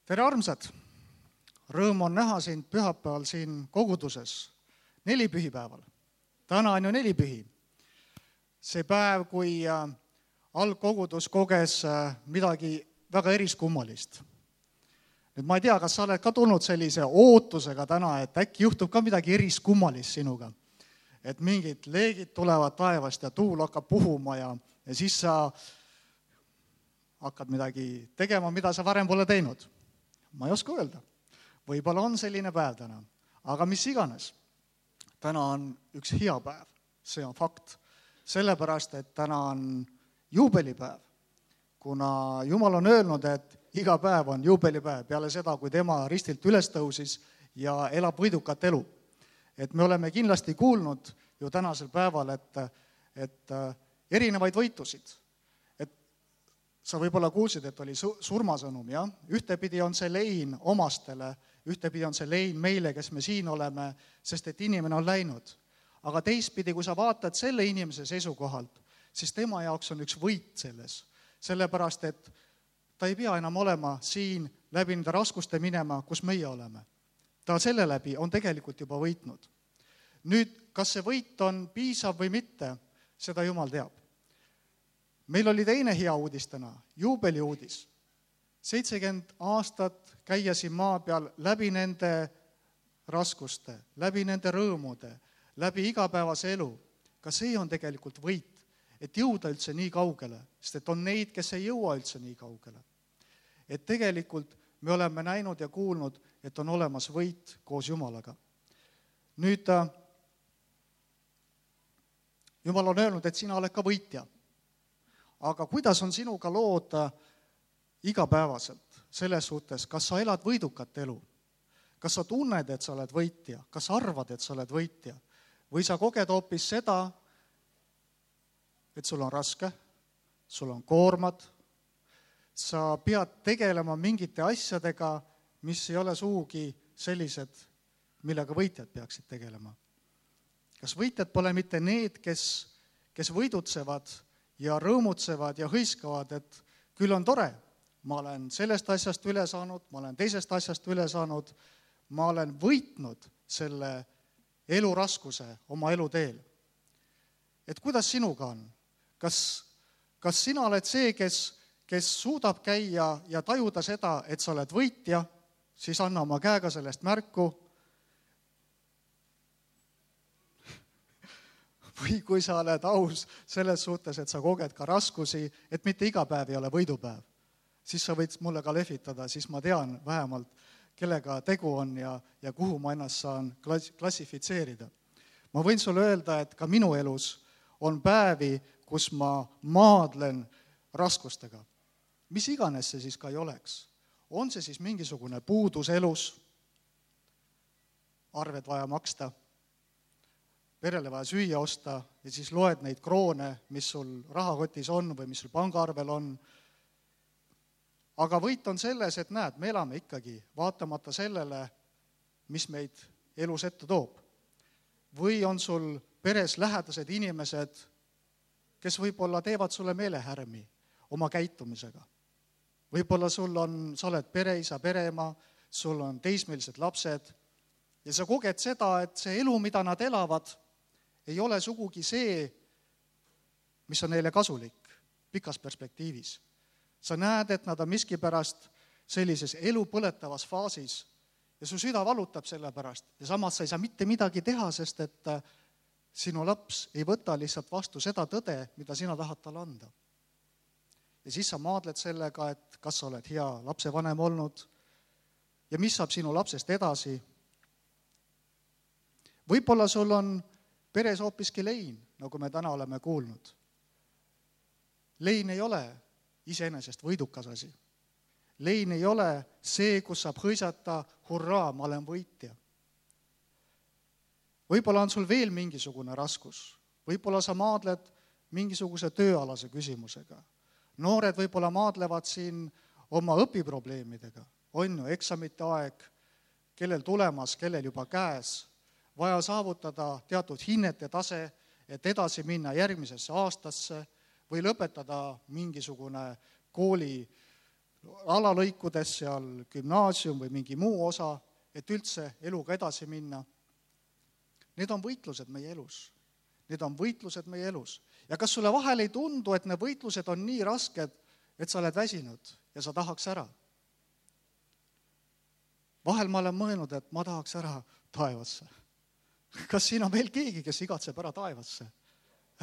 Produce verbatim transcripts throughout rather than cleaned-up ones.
Tere armsad! Rõõm on näha sind pühapäeval siin koguduses, nelipühipäeval. Täna on ju nelipühi. See päev, kui algkogudus koges midagi väga eriskummalist. Nüüd ma ei tea, kas sa oled ka tulnud sellise ootusega täna, et äkki juhtub ka midagi eriskummalist sinuga. Et mingid leegid tulevad taevast ja tuul hakkab puhuma ja, ja siis sa hakkad midagi tegema, mida sa varem pole teinud. Ma ei oska öelda. Võib-olla on selline päev täna. Aga mis iganes. Täna on üks hea päev. See on fakt. Sellepärast, et täna on juubelipäev. Kuna Jumal on öelnud, et iga päev on juubelipäev peale seda, kui tema ristilt üles tõusis ja elab võidukat elu. Et me oleme kindlasti kuulnud ju tänasel päeval, et, et erinevaid võitusid. Sa võib-olla kuulsid, et oli surmasõnum, jah? Ühtepidi on see lein omastele, ühtepidi on see lein meile, kes me siin oleme, sest et inimene on läinud. Aga teistpidi, kui sa vaatad selle inimese seisukohalt, siis tema jaoks on üks võit selles. Sellepärast, et ta ei pea enam olema siin läbi nende raskuste minema, kus meie oleme. Ta selle läbi on tegelikult juba võitnud. Nüüd, kas see võit on piisav või mitte, seda Jumal teab. Meil oli teine hea uudis täna, juubeli uudis. seitsekümmend aastat käia siin maa peal läbi nende raskuste, läbi nende rõõmude, läbi igapäevase elu. Ka see on tegelikult võit, et jõuda üldse nii kaugele, sest et on neid, kes ei jõua üldse nii kaugele. Et tegelikult me oleme näinud ja kuulnud, et on olemas võit koos Jumalaga. Nüüd, Jumal on öelnud, et sina oled ka võitja. Aga kuidas on sinuga lood igapäevaselt selles suhtes, kas sa elad võidukat elu? Kas sa tunned, et sa oled võitja? Kas arvad, et sa oled võitja? Või sa koged hoopis seda, et sul on raske, sul on koormad, sa pead tegelema mingite asjadega, mis ei ole suugi sellised, millega võitjad peaksid tegelema? Kas võitjad pole mitte need, kes, kes võidutsevad ja rõõmutsevad ja hõiskavad, et küll on tore, ma olen sellest asjast üle saanud, ma olen teisest asjast üle saanud, ma olen võitnud selle eluraskuse oma eluteel. Et kuidas sinuga on? Kas, kas sina oled see, kes, kes suudab käia ja tajuda seda, et sa oled võitja, siis anna oma käega sellest märku. Või kui sa oled aus selles suhtes, et sa koged ka raskusi, et mitte iga päev ei ole võidupäev, siis sa võid mulle ka lehvitada, siis ma tean vähemalt, kellega tegu on ja, ja kuhu ma ennast saan klassifitseerida. Ma võin sulle öelda, et ka minu elus on päevi, kus ma maadlen raskustega. Mis iganes see siis ka ei oleks. On see siis mingisugune puudus elus, arved vaja maksta, perele vaja süüa osta ja siis loed neid kroone, mis sul rahakotis on või mis sul pangaarvel on. Aga võit on selles, et näed, me elame ikkagi vaatamata sellele, mis meid elus ette toob. Või on sul peres lähedased inimesed, kes võib-olla teevad sulle meelehärmi oma käitumisega. Võib-olla sul on, sa oled pereisa, pereema, sul on teismelised lapsed ja sa koged seda, et see elu, mida nad elavad, ei ole sugugi see, mis on neile kasulik pikas perspektiivis. Sa näed, et nad on miskipärast sellises elu põletavas faasis ja su süda valutab selle pärast ja samas sa ei saa mitte midagi teha, sest et sinu laps ei võta lihtsalt vastu seda tõde, mida sina tahad talle anda. Ja siis sa maadled sellega, et kas sa oled hea lapsevanem olnud ja mis saab sinu lapsest edasi. Võib-olla sul on peres hoopiski lein, nagu me täna oleme kuulnud. Lein ei ole iseenesest võidukas asi. Lein ei ole see, kus saab hõisata, hurraa, ma olen võitja. Võib-olla on sul veel mingisugune raskus. Võib-olla sa maadled mingisuguse tööalase küsimusega. Noored võib-olla maadlevad siin oma õpiprobleemidega. On ju eksamite aeg, kellel tulemas, kellel juba käes. Vaja saavutada teatud hinnete tase, et edasi minna järgmisesse aastasse või lõpetada mingisugune kooli alalõikudes seal gümnaasium või mingi muu osa, et üldse eluga edasi minna. Need on võitlused meie elus. Need on võitlused meie elus. Ja kas sulle vahel ei tundu, et need võitlused on nii rasked, et sa oled väsinud ja sa tahaks ära? Vahel ma olen mõelnud, et ma tahaks ära taevasse. Kas siin on veel keegi, kes igatseb ära taevasse?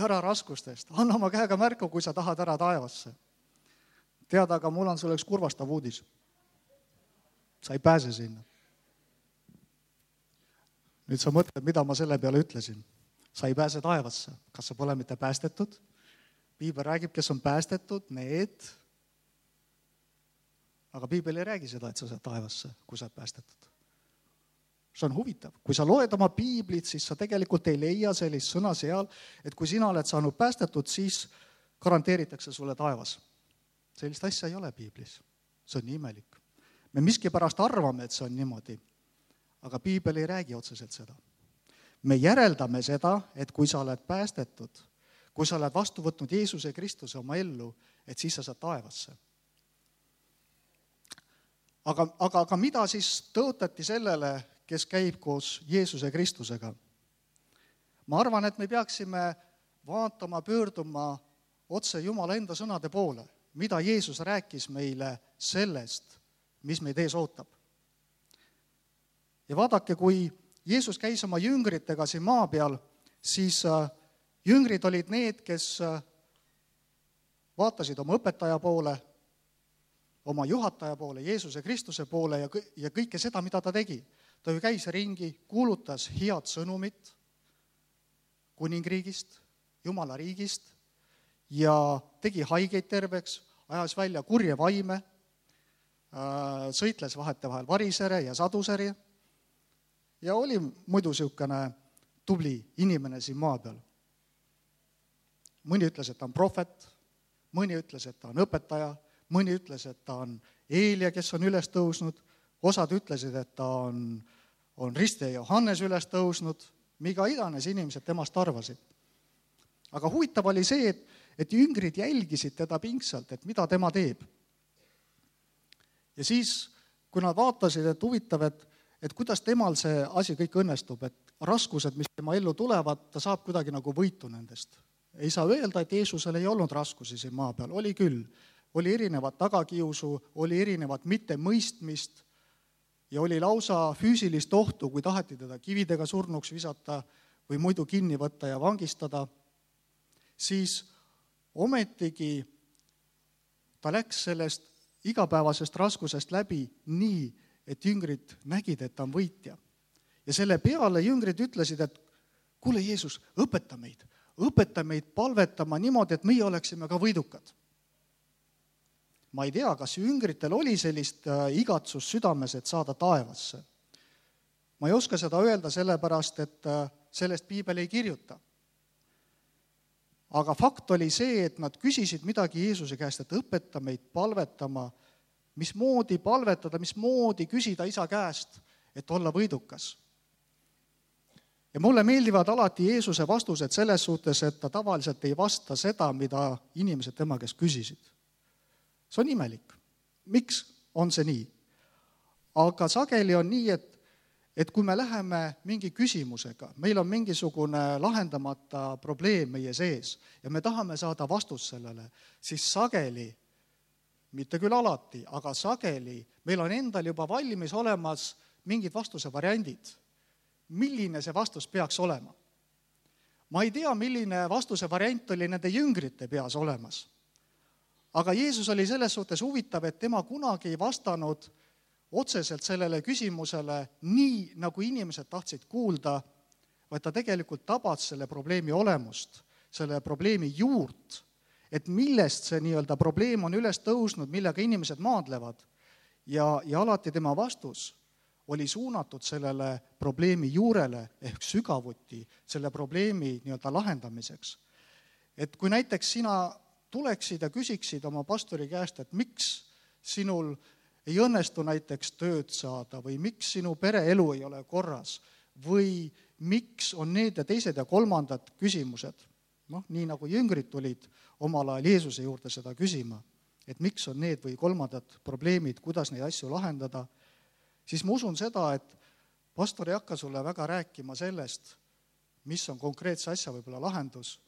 Ära raskustest. Anna oma käega märku, kui sa tahad ära taevasse. Tead, aga mul on sulle üks kurvastav uudis. Sa ei pääse sinna. Nüüd sa mõtled, mida ma selle peale ütlesin. Sa ei pääse taevasse. Kas sa pole mitte päästetud? Piibel räägib, kes on päästetud, need. Aga Piibel ei räägi seda, et sa saad taevasse, kui sa oled päästetud. See on huvitav. Kui sa loed oma piiblit, siis sa tegelikult ei leia sellist sõna seal, et kui sina oled saanud päästetud, siis garanteeritakse sulle taevas. Sellist asja ei ole piiblis. See on nii imelik. Me miskipärast arvame, et see on niimoodi, aga piibel ei räägi otseselt seda. Me järeldame seda, et kui sa oled päästetud, kui sa oled vastu võtnud Jeesuse Kristuse oma ellu, et siis sa saad taevasse. Aga, aga, aga mida siis tõotati sellele, kes käib koos Jeesuse Kristusega? Ma arvan, et me peaksime vaatama, pöörduma otse Jumala enda sõnade poole, mida Jeesus rääkis meile sellest, mis meid ees ootab. Ja vaadake, kui Jeesus käis oma jüngritega siin maa peal, siis jüngrid olid need, kes vaatasid oma õpetaja poole, oma juhataja poole, Jeesuse Kristuse poole ja kõike seda, mida ta tegi. Ta ju käis ringi, kuulutas head sõnumit kuningriigist, Jumala riigist ja tegi haigeid terveks, ajas välja kurje vaime, sõitles vahetevahel varisere ja saduseri ja oli muidu niisugune tubli inimene siin maa peal. Mõni ütles, et ta on prohvet, mõni ütles, et ta on õpetaja, mõni ütles, et ta on Eelia, kes on üles tõusnud, osad ütlesid, et ta on, on Riste Johannes üles tõusnud, miga iganes inimesed temast arvasid. Aga huvitav oli see, et, et jüngrid jälgisid teda pingsalt, et mida tema teeb. Ja siis, kui nad vaatasid, et huvitav, et, et kuidas temal see asi kõik õnnestub, et raskused, mis tema ellu tulevad, ta saab kuidagi nagu võitu nendest. Ei saa öelda, et Jeesusel ei olnud raskusi siin maa peal, oli küll. Oli erinevat tagakiusu, oli erinevat mittemõistmist ja oli lausa füüsilist ohtu, kui taheti teda kividega surnuks visata või muidu kinni võtta ja vangistada, siis ometigi ta läks sellest igapäevasest raskusest läbi nii, et jüngrid nägid, et ta on võitja. Ja selle peale jüngrid ütlesid, et kuule Jeesus, õpeta meid, õpeta meid palvetama niimoodi, et meie oleksime ka võidukad. Ma ei tea, kas jüngritel oli sellist igatsust südames, et saada taevasse. Ma ei oska seda öelda sellepärast, et sellest piibel ei kirjuta. Aga fakt oli see, et nad küsisid midagi Jeesuse käest, et õpeta meid palvetama, mismoodi palvetada, mismoodi küsida isa käest, et olla võidukas. Ja mulle meeldivad alati Jeesuse vastused selles suhtes, et ta tavaliselt ei vasta seda, mida inimesed tema käest küsisid. See on imelik. Miks on see nii? Aga sageli on nii, et, et kui me läheme mingi küsimusega, meil on mingisugune lahendamata probleem meie sees ja me tahame saada vastust sellele, siis sageli, mitte küll alati, aga sageli meil on endal juba valmis olemas mingid vastuse variandid. Milline see vastus peaks olema? Ma ei tea, milline vastuse variant oli nende jüngrite peas olemas. Aga Jeesus oli selles suhtes huvitav, et tema kunagi ei vastanud otseselt sellele küsimusele nii, nagu inimesed tahtsid kuulda, vaid ta tegelikult tabas selle probleemi olemust, selle probleemi juurt, et millest see nii-öelda probleem on üles tõusnud, millega inimesed maadlevad. Ja, ja alati tema vastus oli suunatud sellele probleemi juurele ehk sügavuti, selle probleemi nii-öelda lahendamiseks. Et kui näiteks sina tuleksid ja küsiksid oma pastori käest, et miks sinul ei õnnestu näiteks tööd saada või miks sinu pereelu ei ole korras või miks on need ja teised ja kolmandad küsimused, noh, nii nagu jüngrid tulid omal ajal Jeesuse juurde seda küsima, et miks on need või kolmandad probleemid, kuidas neid asju lahendada, siis ma usun seda, et pastor ei hakka sulle väga rääkima sellest, mis on konkreetse asja võib-olla lahendus,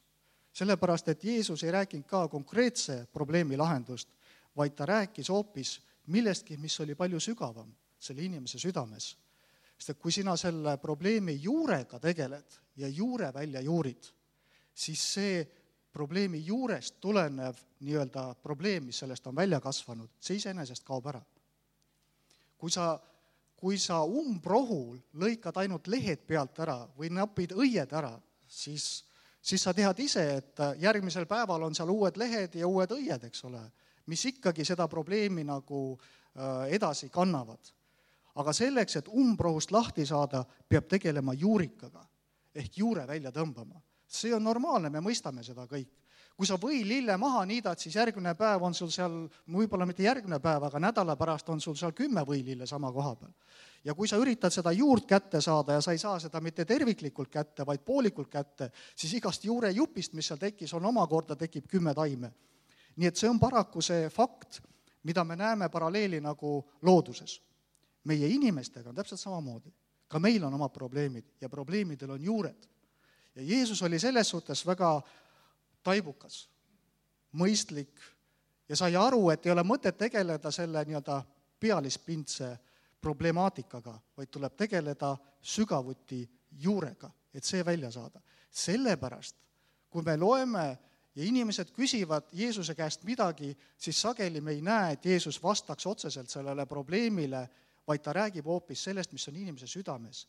sellepärast, et Jeesus ei rääkinud ka konkreetse probleemi lahendust, vaid ta rääkis hoopis millestki, mis oli palju sügavam selle inimese südames. Sest et kui sina selle probleemi juurega tegeled ja juure välja juurid, siis see probleemi juurest tulenev nii-öelda probleem, mis sellest on välja kasvanud, see iseenesest kaob ära. Kui sa, kui sa umbrohul lõikad ainult lehed pealt ära või napid õied ära, siis, siis sa tead ise, et järgmisel päeval on seal uued lehed ja uued õied, eks ole, mis ikkagi seda probleemi nagu edasi kannavad. Aga selleks, et umbrohust lahti saada, peab tegelema juurikaga ehk juure välja tõmbama. See on normaalne, me mõistame seda kõik. Kui sa või lille maha niidad, siis järgmine päev on sul seal, võib-olla mitte järgmine päev, aga nädala pärast on sul seal kümme võilille sama koha peal. Ja kui sa üritad seda juurt kätte saada ja sa ei saa seda mitte terviklikult kätte, vaid poolikult kätte, siis igast juure jupist, mis seal tekkis, on omakorda tekib kümme taime. Nii et see on paraku see fakt, mida me näeme paralleeli nagu looduses. Meie inimestega on täpselt samamoodi. Ka meil on omad probleemid ja probleemidel on juured. Ja Jeesus oli selles suhtes väga taibukas, mõistlik ja sai aru, et ei ole mõtet tegeleda selle nii-öelda pealispindse problemaatikaga, vaid tuleb tegeleda sügavuti juurega, et see välja saada. Sellepärast, kui me loeme ja inimesed küsivad Jeesuse käest midagi, siis sageli me ei näe, et Jeesus vastaks otseselt sellele probleemile, vaid ta räägib hoopis sellest, mis on inimese südames.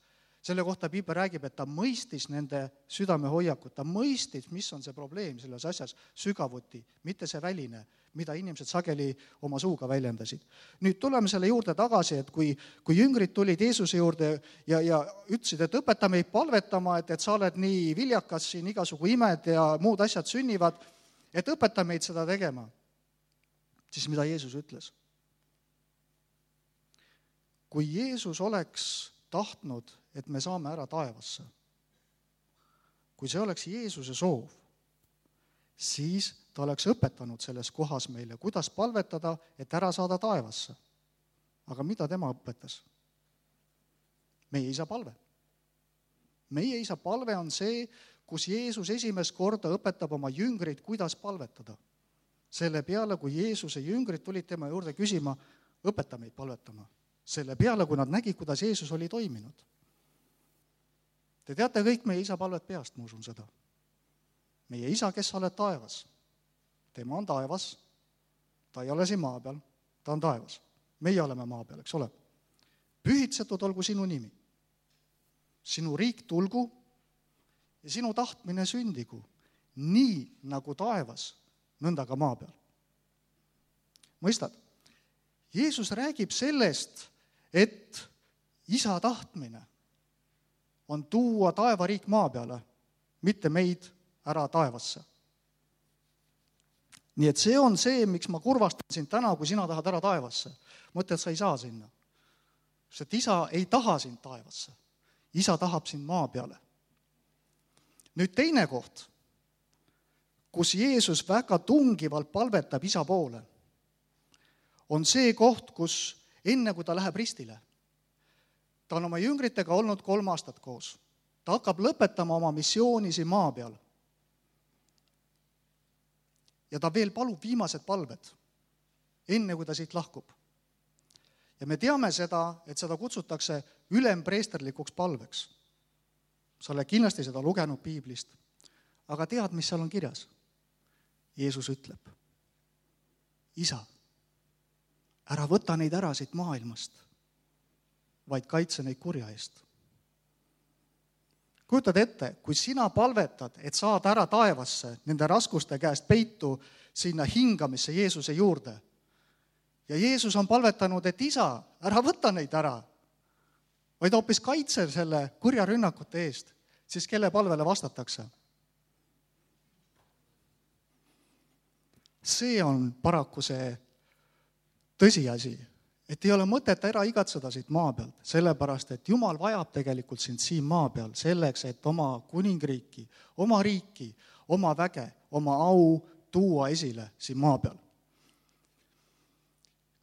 Selle kohta Piibel räägib, et ta mõistis nende südame hoiakut, ta mõistis, mis on see probleem selles asjas sügavuti, mitte see väline, mida inimesed sageli oma suuga väljendasid. Nüüd tuleme selle juurde tagasi, et kui, kui jüngrid tulid Jeesuse juurde ja, ja ütlesid, et õpeta meid palvetama, et, et sa oled nii viljakas, siin igasugu imed ja muud asjad sünnivad, et õpeta meid seda tegema. Siis mida Jeesus ütles? Kui Jeesus oleks tahtnud, et me saame ära taevasse, kui see oleks Jeesuse soov, siis ta oleks õpetanud selles kohas meile, kuidas palvetada, et ära saada taevasse. Aga mida tema õpetas? Meie isa palve. Meie isa palve on see, kus Jeesus esimest korda õpetab oma jüngrid, kuidas palvetada. Selle peale, kui Jeesuse jüngrid tulid tema juurde küsima, õpeta meid palvetama. Selle peale, kui nad nägid, kuidas Jeesus oli toiminud. Te teate kõik meie isa palvet peast, ma usun seda. Meie isa, kes sa oled taevas. Tema on taevas, ta ei ole siin maa peal, ta on taevas. Meie oleme maa peal, eks ole. Pühitsetud olgu sinu nimi. Sinu riik tulgu ja sinu tahtmine sündigu, nii nagu taevas, nõnda ka maa peal. Mõistad? Jeesus räägib sellest, et isa tahtmine on tuua taevariik maa peale, mitte meid ära taevasse. Nii et see on see, miks ma kurvastan sind täna, kui sina tahad ära taevasse. Mõtle, et sa ei saa sinna. Sest isa ei taha sind taevasse. Isa tahab sind maa peale. Nüüd teine koht, kus Jeesus väga tungivalt palvetab isa poole, on see koht, kus enne kui ta läheb ristile, ta on oma jüngritega olnud kolm aastat koos. Ta hakkab lõpetama oma missiooni siin maa peal. Ja ta veel palub viimased palved, enne kui ta siit lahkub. Ja me teame seda, et seda kutsutakse ülempreesterlikuks palveks. Sa oled kindlasti seda lugenud Piiblist, aga tead, mis seal on kirjas? Jeesus ütleb, isa, ära võta neid ära siit maailmast, vaid kaitse neid kurja eest. Kujutad ette, kui sina palvetad, et saad ära taevasse nende raskuste käest peitu sinna hingamisse Jeesuse juurde. Ja Jeesus on palvetanud, et isa, ära võta neid ära, vaid hoopis kaitse selle kurja rünnakute eest, siis kelle palvele vastatakse? See on paraku see tõsiasi, et ei ole mõtet ära igatseda siit maa pealt, sellepärast, et Jumal vajab tegelikult sind siin maa peal selleks, et oma kuningriiki, oma riiki, oma väge, oma au tuua esile siin maa peal.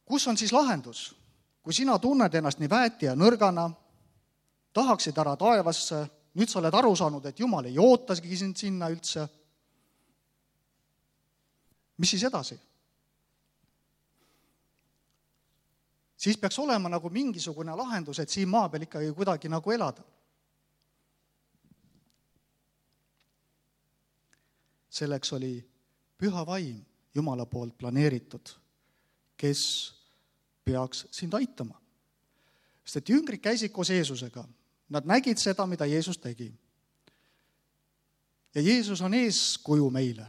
kus on siis lahendus? Kui sina tunned ennast nii väeti ja nõrgana, tahaksid ära taevasse, nüüd sa oled aru saanud, et Jumal ei ootasigi sind sinna üldse, mis siis edasi? Siis peaks olema nagu mingisugune lahendus, et siin maa peal ikkagi kuidagi nagu elada. Selleks oli püha vaim Jumala poolt planeeritud, kes peaks sind aitama. Sest et jüngrid käisid koos Jeesusega. Nad nägid seda, mida Jeesus tegi. Ja Jeesus on eeskuju meile.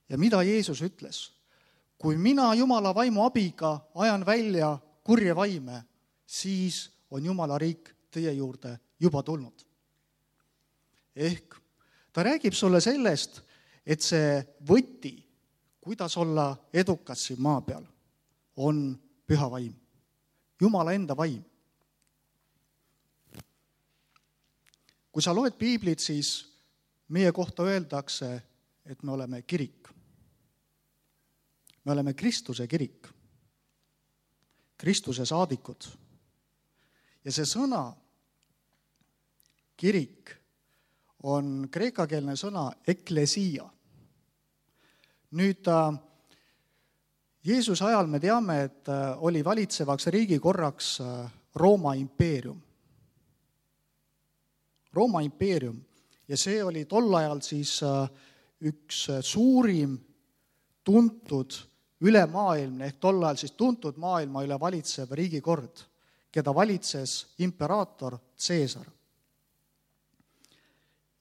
Ja mida Jeesus ütles? Kui mina Jumala vaimu abiga ajan välja kurje vaime, siis on Jumala riik teie juurde juba tulnud. Ehk ta räägib sulle sellest, et see võti, kuidas olla edukas siin maa peal, on püha vaim. Jumala enda vaim. Kui sa loed piiblit, siis meie kohta öeldakse, et me oleme kirik. Me oleme Kristuse kirik. Kristuse saadikud. Ja see sõna kirik on kreekakeelne sõna eklesia. Nüüd Jeesuse ajal me teame, et oli valitsevaks riigikorraks Rooma impeerium. Rooma impeerium. Ja see oli tol ajal siis üks suurim tuntud ülemaailmne, ehk tol ajal siis tuntud maailma üle valitsev riigikord, keda valitses imperaator Caesar.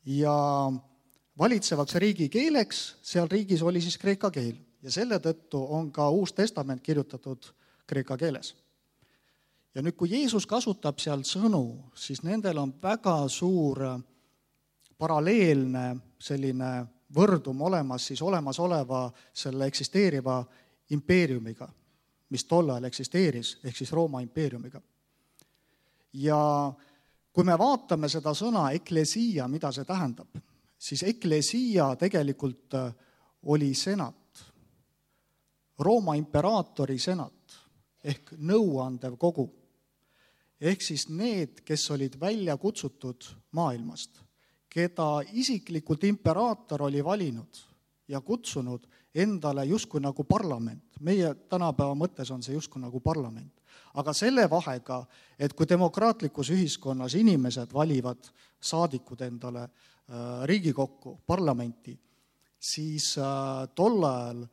Ja valitsevaks riigikeeleks seal riigis oli siis kreeka keel. Ja selle tõttu on ka Uus Testament kirjutatud kreeka keeles. Ja nüüd, kui Jeesus kasutab seal sõnu, siis nendel on väga suur paralleelne selline võrdum olemas siis olemasoleva selle eksisteeriva impeeriumiga, mis tol ajal eksisteeris, ehk siis Rooma impeeriumiga. Ja kui me vaatame seda sõna eklesia, mida see tähendab, siis eklesia tegelikult oli senat, Rooma imperaatori senat ehk nõuandev kogu. Ehk siis need, kes olid välja kutsutud maailmast, keda isiklikult imperaator oli valinud ja kutsunud endale justkui nagu parlament. Meie tänapäeva mõttes on see justkui nagu parlament. Aga selle vahega, et kui demokraatlikus ühiskonnas inimesed valivad saadikud endale Riigikokku, parlamenti, siis tol ajal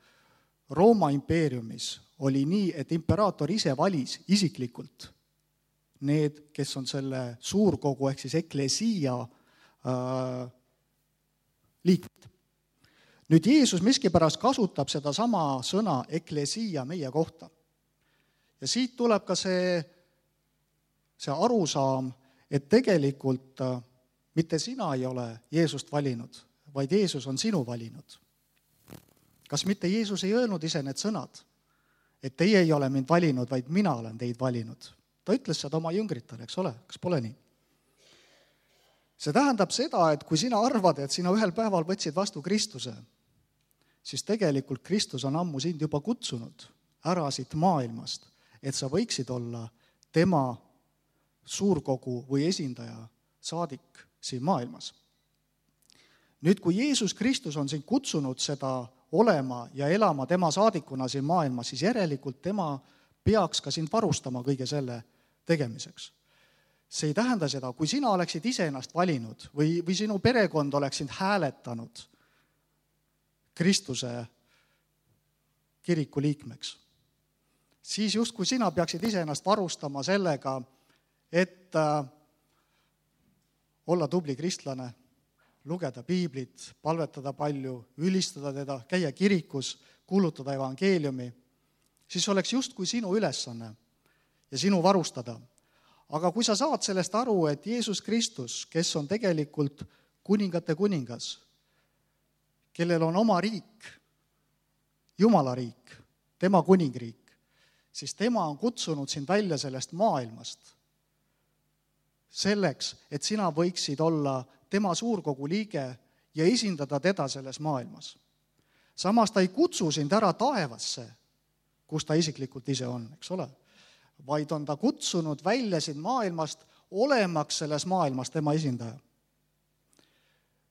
Rooma impeeriumis oli nii, et imperaator ise valis isiklikult need, kes on selle suurkogu ehk siis eklesia äh, liikmed. Nüüd Jeesus miskipärast kasutab seda sama sõna eklesia meie kohta. Ja siit tuleb ka see, see arusaam, et tegelikult äh, mitte sina ei ole Jeesust valinud, vaid Jeesus on sinu valinud. Kas mitte Jeesus ei öelnud ise need sõnad, et teie ei ole mind valinud, vaid mina olen teid valinud? Ta ütles seda oma jüngritele, eks ole, kas pole nii? See tähendab seda, et kui sina arvad, et sina ühel päeval võtsid vastu Kristuse, siis tegelikult Kristus on ammu sind juba kutsunud ära siit maailmast, et sa võiksid olla tema suurkogu või esindaja saadik siin maailmas. Nüüd, kui Jeesus Kristus on sind kutsunud seda olema ja elama tema saadikuna siin maailmas, siis järelikult tema peaks ka sind varustama kõige selle tegemiseks. See ei tähenda seda, kui sina oleksid ise ennast valinud või, või sinu perekond oleks sind hääletanud Kristuse kiriku liikmeks, siis justkui sina peaksid ise ennast varustama sellega, et olla tubli kristlane, lugeda piiblit, palvetada palju, ülistada teda, käia kirikus, kuulutada evangeeliumi, siis oleks justkui sinu ülesanne ja sinu varustada. Aga kui sa saad sellest aru, et Jeesus Kristus, kes on tegelikult kuningate kuningas, kellel on oma riik, Jumala riik, tema kuningriik, siis tema on kutsunud sind välja sellest maailmast selleks, et sina võiksid olla tema suurkogu liige ja esindada teda selles maailmas. Samas ta ei kutsu sind ära taevasse, kus ta isiklikult ise on, eks ole. Vaid on ta kutsunud välja siin maailmast, olemaks selles maailmas tema esindaja.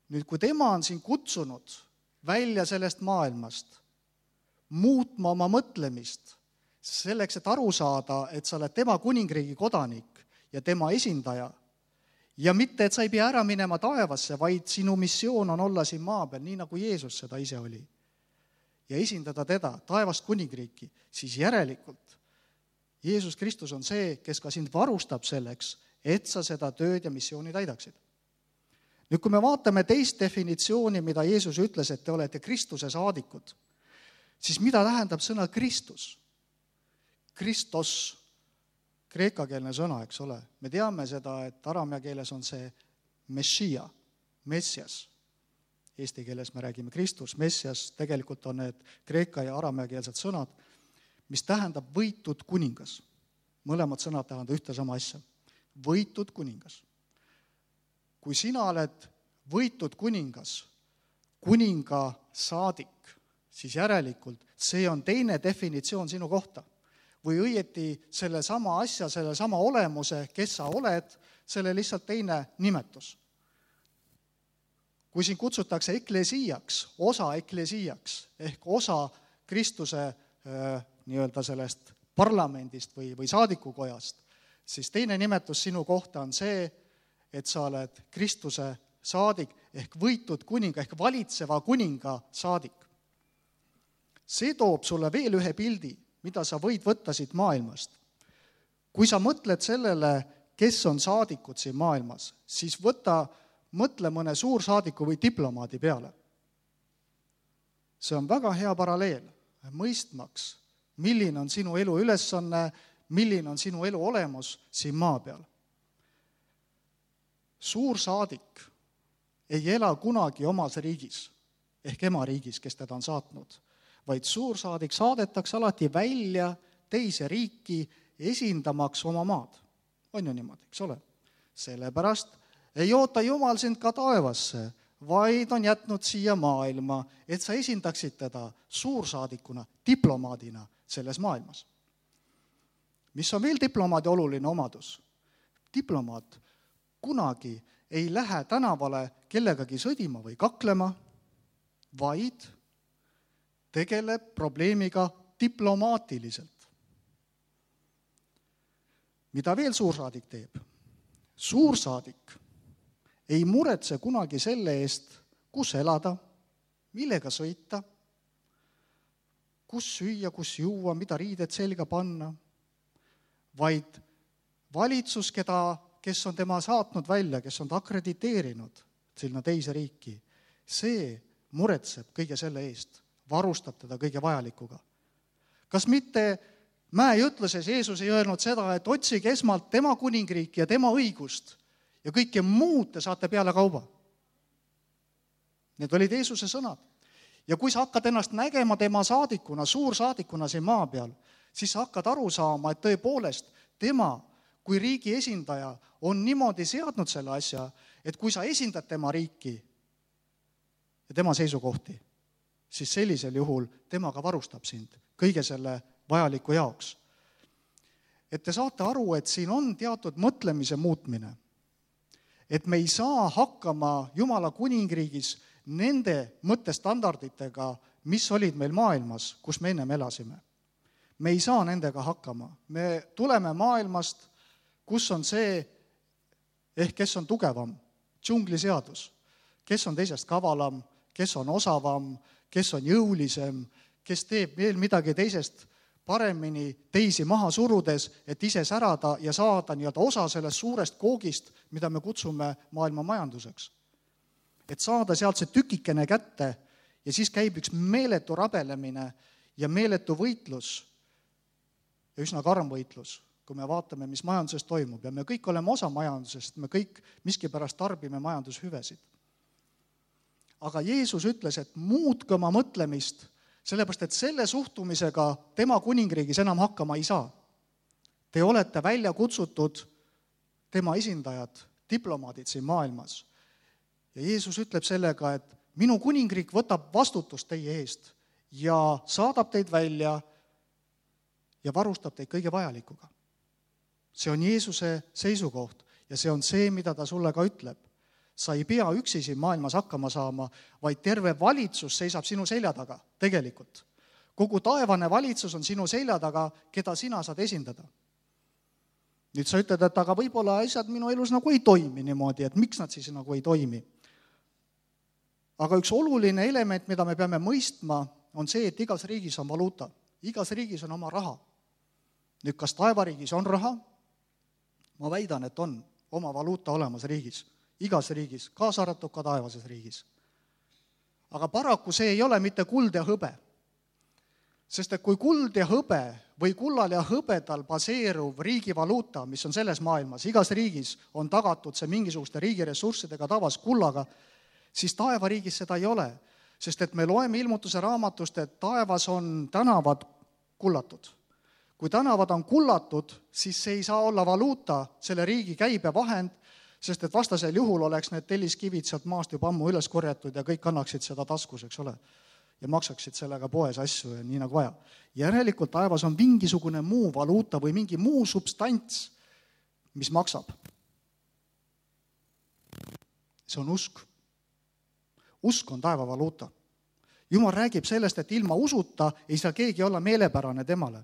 Nüüd, kui tema on siin kutsunud välja sellest maailmast, muutma oma mõtlemist, selleks, et aru saada, et sa oled tema kuningriigi kodanik ja tema esindaja, ja mitte, et sa ei pea ära minema taevasse, vaid sinu missioon on olla siin maa peal, nii nagu Jeesus seda ise oli. Ja esindada teda, taevast kuningriiki, siis järelikult Jeesus Kristus on see, kes ka sind varustab selleks, et sa seda tööd ja missiooni täidaksid. Nüüd, kui me vaatame teist definitsiooni, mida Jeesus ütles, et te olete Kristuse saadikud, siis mida tähendab sõna Kristus? Kristos, kreekakeelne sõna, eks ole. Me teame seda, et araamia keeles on see Meshia, Messias. Eesti keeles me räägime Kristus, Messias, tegelikult on need kreeka ja araamia keelsed sõnad, mis tähendab võitud kuningas. Mõlemad sõnad tähendab ühte sama asja. Võitud kuningas. Kui sina oled võitud kuningas, kuninga saadik, siis järelikult see on teine definitsioon sinu kohta. Või õieti selle sama asja, selle sama olemuse, kes sa oled, selle lihtsalt teine nimetus. Kui siin kutsutakse eklesiiaks, osa eklesiiaks, ehk osa Kristuse äh, nii-öelda sellest parlamendist või, või saadikukojast, siis teine nimetus sinu kohta on see, et sa oled Kristuse saadik ehk võitud kuninga ehk valitseva kuninga saadik. See toob sulle veel ühe pildi, mida sa võid võtta siit maailmast. Kui sa mõtled sellele, kes on saadikud siin maailmas, siis võta, mõtle mõne suursaadiku või diplomaadi peale. See on väga hea paralleel, mõistmaks, milline on sinu elu ülesanne, milline on sinu elu olemus siin maa peal. Suursaadik ei ela kunagi omas riigis, ehk ema riigis, kes teda on saatnud, vaid suursaadik saadetakse alati välja teise riiki esindamaks oma maad. On ju niimoodi, eks ole? Sellepärast ei oota Jumal sind ka taevasse, vaid on jätnud siia maailma, et sa esindaksid teda suursaadikuna, diplomaadina selles maailmas. Mis on veel diplomaadi oluline omadus? Diplomaat kunagi ei lähe tänavale kellegagi sõdima või kaklema, vaid tegeleb probleemiga diplomaatiliselt. Mida veel suursaadik teeb? Suursaadik ei muretse kunagi selle eest, kus elada, millega sõita, kus süüa, kus juua, mida riided selga panna, vaid valitsus, keda, kes on tema saatnud välja, kes on ta akrediteerinud sinna teise riiki, see muretseb kõige selle eest, varustab teda kõige vajalikuga. Kas mitte Mäe ütluses Jeesus ei öelnud seda, et otsige esmalt tema kuningriiki ja tema õigust ja kõike muud te saate peale kauba? Need olid Jeesuse sõnad. Ja kui sa hakkad ennast nägema tema saadikuna, suursaadikuna siin maa peal, siis sa hakkad aru saama, et tõepoolest tema kui riigi esindaja on niimoodi seadnud selle asja, et kui sa esindad tema riiki ja tema seisukohti, siis sellisel juhul temaga varustab sind kõige selle vajaliku jaoks. Et te saate aru, et siin on teatud mõtlemise muutmine. Et me ei saa hakkama Jumala kuningriigis nende mõttestandarditega, mis olid meil maailmas, kus me ennem elasime. Me ei saa nendega hakkama. Me tuleme maailmast, kus on see, ehk kes on tugevam, džungliseadus, kes on teisest kavalam, kes on osavam, kes on jõulisem, kes teeb veel midagi teisest paremini teisi maha surudes, et ise särada ja saada nii-öelda osa sellest suurest koogist, mida me kutsume maailma majanduseks. Et saada sealt see tükikene kätte ja siis käib üks meeletu rabelemine ja meeletu võitlus ja üsna karm võitlus, kui me vaatame, mis majanduses toimub. Ja me kõik oleme osa majandusest, me kõik miskipärast tarbime majandushüvesid. Aga Jeesus ütles, et muutke oma mõtlemist, sellepärast, et selle suhtumisega tema kuningriigis enam hakkama ei saa. Te olete välja kutsutud tema esindajad, diplomaadid siin maailmas. Ja Jeesus ütleb sellega, et minu kuningriik võtab vastutust teie eest ja saadab teid välja ja varustab teid kõige vajalikuga. See on Jeesuse seisukoht ja see on see, mida ta sulle ka ütleb. Sa ei pea üksi siin maailmas hakkama saama, vaid terve valitsus seisab sinu selja taga, tegelikult. Kogu taevane valitsus on sinu selja taga, keda sina saad esindada. Nüüd sa ütled, et aga võib-olla asjad minu elus nagu ei toimi niimoodi, et miks nad siis nagu ei toimi. Aga üks oluline element, mida me peame mõistma, on see, et igas riigis on valuuta. Igas riigis on oma raha. Nüüd, kas taevariigis on raha? Ma väidan, et on oma valuuta olemas riigis. Igas riigis, kaasa arvatud ka taevases riigis. Aga paraku see ei ole mitte kuld ja hõbe. Sest et kui kuld ja hõbe või kullal ja hõbedal baseeruv riigi valuuta, mis on selles maailmas, igas riigis on tagatud see mingisuguste riigi ressurssidega tavas kullaga, siis taevariigis seda ei ole. Sest et me loeme ilmutuse raamatust, et taevas on tänavad kullatud. Kui tänavad on kullatud, siis see ei saa olla valuuta, selle riigi käibevahend, sest et vastasel juhul oleks need telliskivid sealt maast juba ammu üles korjatud ja kõik annaksid seda taskus, eks ole, ja maksaksid sellega poes asju ja nii nagu vaja. Järelikult taevas on mingisugune muu valuuta või mingi muu substants, mis maksab. See on usk. Usk on taeva valuuta. Jumal räägib sellest, et ilma usuta ei saa keegi olla meelepärane temale.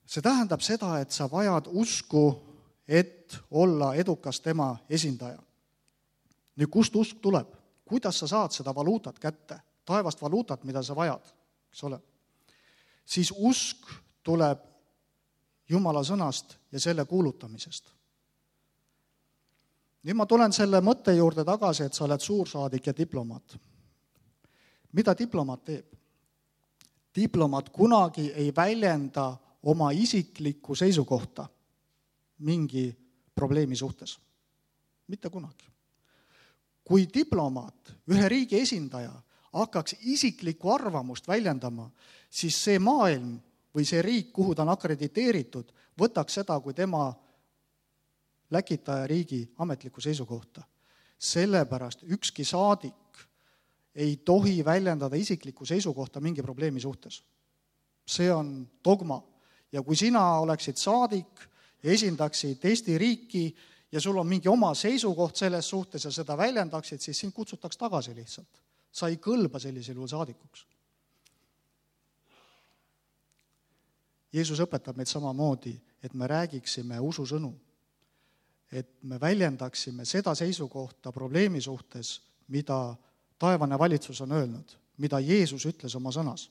See tähendab seda, et sa vajad usku, et olla edukas tema esindaja. Nüüd, kust usk tuleb? Kuidas sa saad seda valuutat kätte? Taevast valuutat, mida sa vajad, eks ole? Siis usk tuleb Jumala sõnast ja selle kuulutamisest. Nüüd ma tulen selle mõtte juurde tagasi, et sa oled suursaadik ja diplomaat. Mida diplomaat teeb? Diplomaat kunagi ei väljenda oma isiklikku seisukohta mingi probleemi suhtes. Mitte kunagi. Kui diplomaat, ühe riigi esindaja, hakkaks isiklikku arvamust väljendama, siis see maailm või see riik, kuhu ta on akrediteeritud, võtaks seda kui tema läkitaja riigi ametlikku seisukohta. Sellepärast ükski saadik ei tohi väljendada isiklikku seisukohta mingi probleemi suhtes. See on dogma. Ja kui sina oleksid saadik ja esindaksid Eesti riiki ja sul on mingi oma seisukoht selles suhtes ja seda väljendaksid, siis sind kutsutaks tagasi lihtsalt. Sa ei kõlba sellisel juhul saadikuks. Jeesus õpetab meid samamoodi, et me räägiksime ususõnu, et me väljendaksime seda seisukohta probleemi suhtes, mida taevane valitsus on öelnud, mida Jeesus ütles oma sõnas.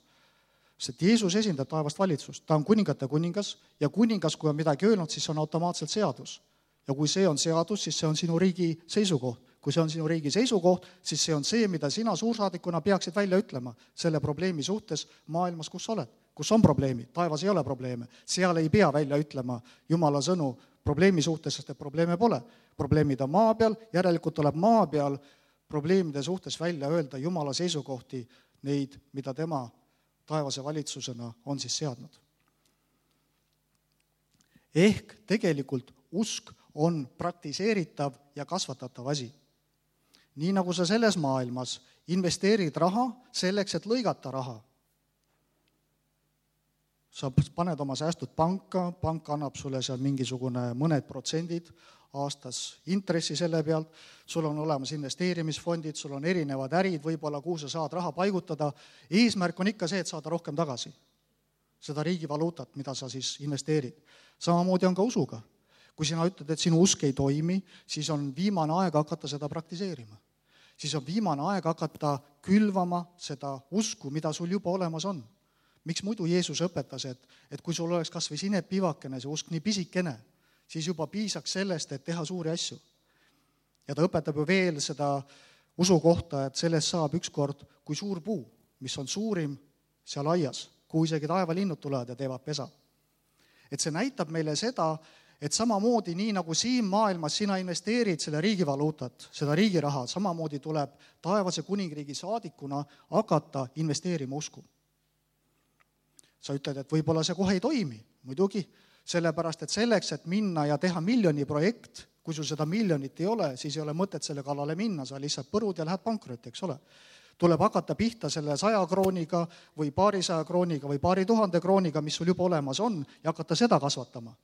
Sest Jeesus esindab taevast valitsust, ta on kuningate kuningas ja kuningas, kui on midagi öelnud, siis on automaatselt seadus. Ja kui see on seadus, siis see on sinu riigi seisukoht. Kui see on sinu riigi seisukoht, siis see on see, mida sina suursaadikuna peaksid välja ütlema selle probleemi suhtes maailmas, kus oled. Kus on probleemid? Taevas ei ole probleeme. Seal ei pea välja ütlema Jumala sõnu probleemi suhtes, sest et probleeme pole. Probleemid on maa peal, järelikult tuleb maa peal probleemide suhtes välja öelda Jumala seisukohti, neid, mida tema taevase valitsusena on siis seadnud. Ehk tegelikult usk on praktiseeritav ja kasvatatav asi. Nii nagu sa selles maailmas investeerid raha selleks, et lõigata raha. Sa paned oma säästud panka, pank annab sulle seal mingisugune mõned protsendid aastas intressi selle pealt, sul on olemas investeerimisfondid, sul on erinevad ärid, võib-olla kuhu sa saad raha paigutada. Eesmärk on ikka see, et saada rohkem tagasi. Seda riigi valuutat, mida sa siis investeerid. Samamoodi on ka usuga. Kui sina ütled, et sinu usk ei toimi, siis on viimane aeg hakata seda praktiseerima. Siis on viimane aeg hakata külvama seda usku, mida sul juba olemas on. Miks muidu Jeesus õpetas, et, et kui sul oleks kas või sinep pivakene, see usk nii pisikene, siis juba piisaks sellest, et teha suuri asju. Ja ta õpetab ju veel seda usu kohta, et sellest saab ükskord kui suur puu, mis on suurim seal aias, kuhu isegi taevalinnud tulevad ja teevad pesa. Et see näitab meile seda, et samamoodi nii nagu siin maailmas sina investeerid selle riigivaluutat, seda riigiraha, samamoodi tuleb taevase kuningriigi saadikuna hakata investeerima usku. Sa ütled, et võib-olla see kohe ei toimi, muidugi, sellepärast, et selleks, et minna ja teha miljoni projekt, kui sul seda miljonit ei ole, siis ei ole mõtet selle kallale minna, sa lihtsalt põrud ja lähed pankrotti, eks ole. Tuleb hakata pihta selle saja krooniga või paarisaja krooniga või paari tuhande krooniga, mis sul juba olemas on, ja hakata seda kasvatama.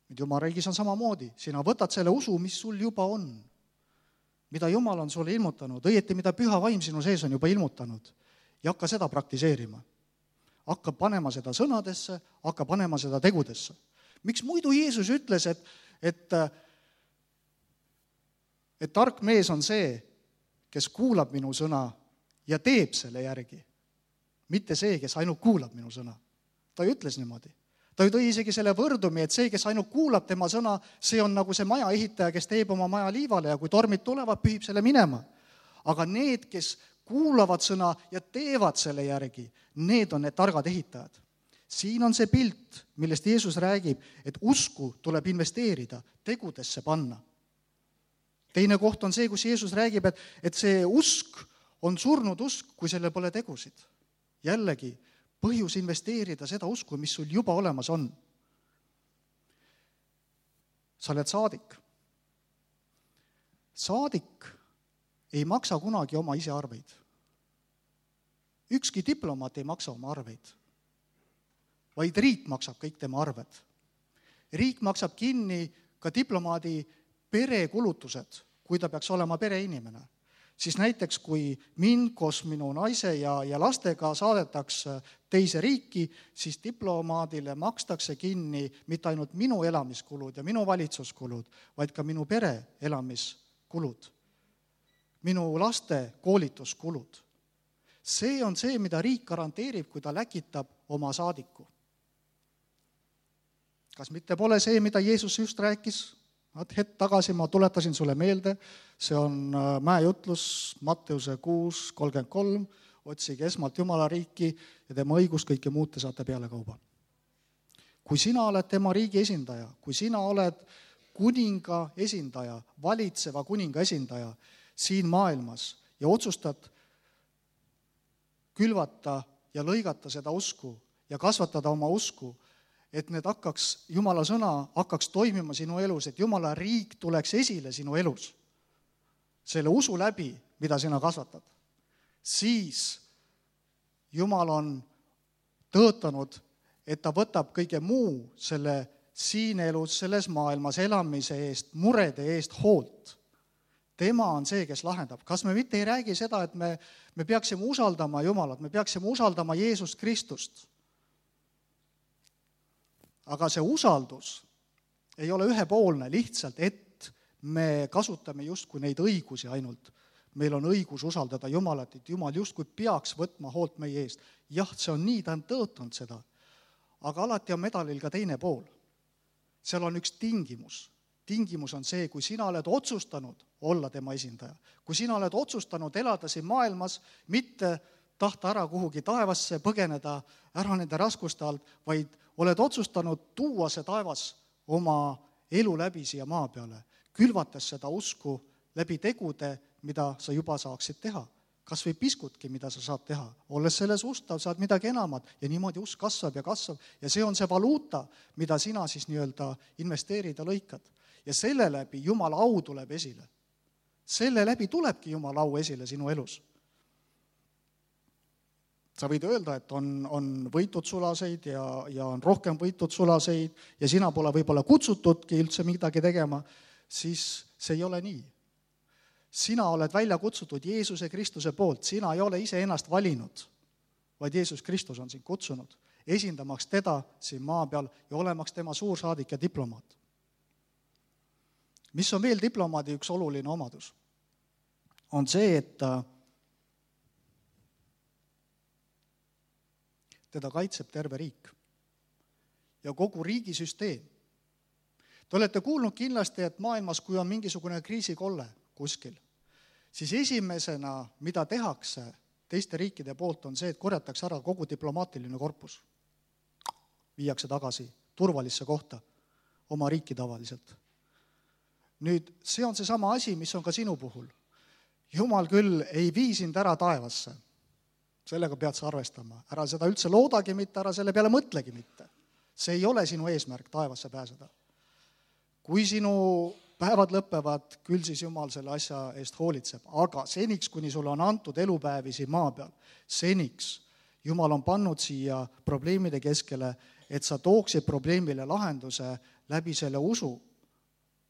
Nüüd Jumala riigis on samamoodi. Sina võtad selle usu, mis sul juba on, mida Jumal on sulle ilmutanud, õieti mida püha vaim sinu sees on juba ilmutanud, ja hakka seda praktiseerima. Hakka panema seda sõnadesse, hakka panema seda tegudesse. Miks muidu Jeesus ütles, et, et, et tark mees on see, kes kuulab minu sõna ja teeb selle järgi, mitte see, kes ainult kuulab minu sõna. Ta ütles niimoodi. Ta tõi isegi selle võrdumi, et see, kes ainult kuulab tema sõna, see on nagu see maja ehitaja, kes teeb oma maja liivale ja kui tormid tulevad, pühib selle minema. Aga need, kes kuulavad sõna ja teevad selle järgi, need on need targad ehitajad. Siin on see pilt, millest Jeesus räägib, et usku tuleb investeerida, tegudesse panna. Teine koht on see, kus Jeesus räägib, et, et see usk on surnud usk, kui selle pole tegusid. Jällegi, põhjus investeerida seda usku, mis sul juba olemas on. Sa oled saadik. Saadik ei maksa kunagi oma ise arveid. Ükski diplomaat ei maksa oma arveid, vaid riik maksab kõik tema arved. Riik maksab kinni ka diplomaadi perekulutused, kui ta peaks olema pereinimene. Siis näiteks, kui mind koos minu naise ja, ja lastega saadetakse teise riiki, siis diplomaadile makstakse kinni mitte ainult minu elamiskulud ja minu valitsuskulud, vaid ka minu pere elamiskulud, minu laste koolituskulud. See on see, mida riik garanteerib, kui ta läkitab oma saadiku. Kas mitte pole see, mida Jeesus just rääkis? Hetk tagasi ma tuletasin sulle meelde, see on mäejutlus Matteuse kuus kolmkümmend kolm, otsige esmalt Jumala riiki ja tema õigus, kõike muud te saate peale kauba. Kui sina oled tema riigi esindaja, kui sina oled kuninga esindaja, valitseva kuninga esindaja siin maailmas ja otsustad külvata ja lõigata seda usku ja kasvatada oma usku, et need hakkaks, Jumala sõna hakkaks toimima sinu elus, et Jumala riik tuleks esile sinu elus, selle usu läbi, mida sina kasvatad, siis Jumal on tõotanud, et ta võtab kõige muu selle siin elus, selles maailmas elamise eest, murede eest hoolt. Tema on see, kes lahendab. Kas me mitte ei räägi seda, et me, me peaksime usaldama Jumalat, me peaksime usaldama Jeesust Kristust? Aga see usaldus ei ole ühepoolne lihtsalt, et me kasutame justkui neid õigusi ainult. Meil on õigus usaldada Jumalat, et Jumal justkui peaks võtma hoolt meie eest. Jah, see on nii, ta on tõotanud seda. Aga alati on medalil ka teine pool. Seal on üks tingimus. Tingimus on see, kui sina oled otsustanud olla tema esindaja. Kui sina oled otsustanud elada siin maailmas, mitte tahta ära kuhugi taevasse, põgeneda ära nende raskuste alt, vaid oled otsustanud tuua see taevas oma elu läbi siia maa peale, külvates seda usku läbi tegude, mida sa juba saaksid teha. Kas või piskutki, mida sa saad teha. Olles selles ustav, saad midagi enamat ja niimoodi usk kasvab ja kasvab. Ja see on see valuuta, mida sina siis nii-öelda investeerida lõikad. Ja selle läbi Jumala au tuleb esile. Selle läbi tulebki Jumala au esile sinu elus. Sa võid öelda, et on, on võitud sulaseid ja, ja on rohkem võitud sulaseid ja sina pole võib-olla kutsutudki üldse midagi tegema, siis see ei ole nii. Sina oled välja kutsutud Jeesuse Kristuse poolt, sina ei ole ise ennast valinud, vaid Jeesus Kristus on sind kutsunud, esindamaks teda siin maa peal ja olemaks tema suursaadik ja diplomaat. Mis on veel diplomaadi üks oluline omadus? On see, et teda kaitseb terve riik ja kogu riigisüsteem. Te olete kuulnud kindlasti, et maailmas, kui on mingisugune kriisikolle kuskil, siis esimesena, mida tehakse teiste riikide poolt, on see, et korjatakse ära kogu diplomaatiline korpus. Viiakse tagasi turvalisse kohta oma riiki tavaliselt. Nüüd, see on see sama asi, mis on ka sinu puhul. Jumal küll ei vii sind ära taevasse. Sellega pead sa arvestama. Ära seda üldse loodagi mitte, ära selle peale mõtlegi mitte. See ei ole sinu eesmärk taevasse pääseda. Kui sinu päevad lõpevad, küll siis Jumal selle asja eest hoolitseb. Aga seniks, kuni sulle on antud elupäevi siin maa peal, seniks Jumal on pannud siia probleemide keskele, et sa tooksid probleemile lahenduse läbi selle usu,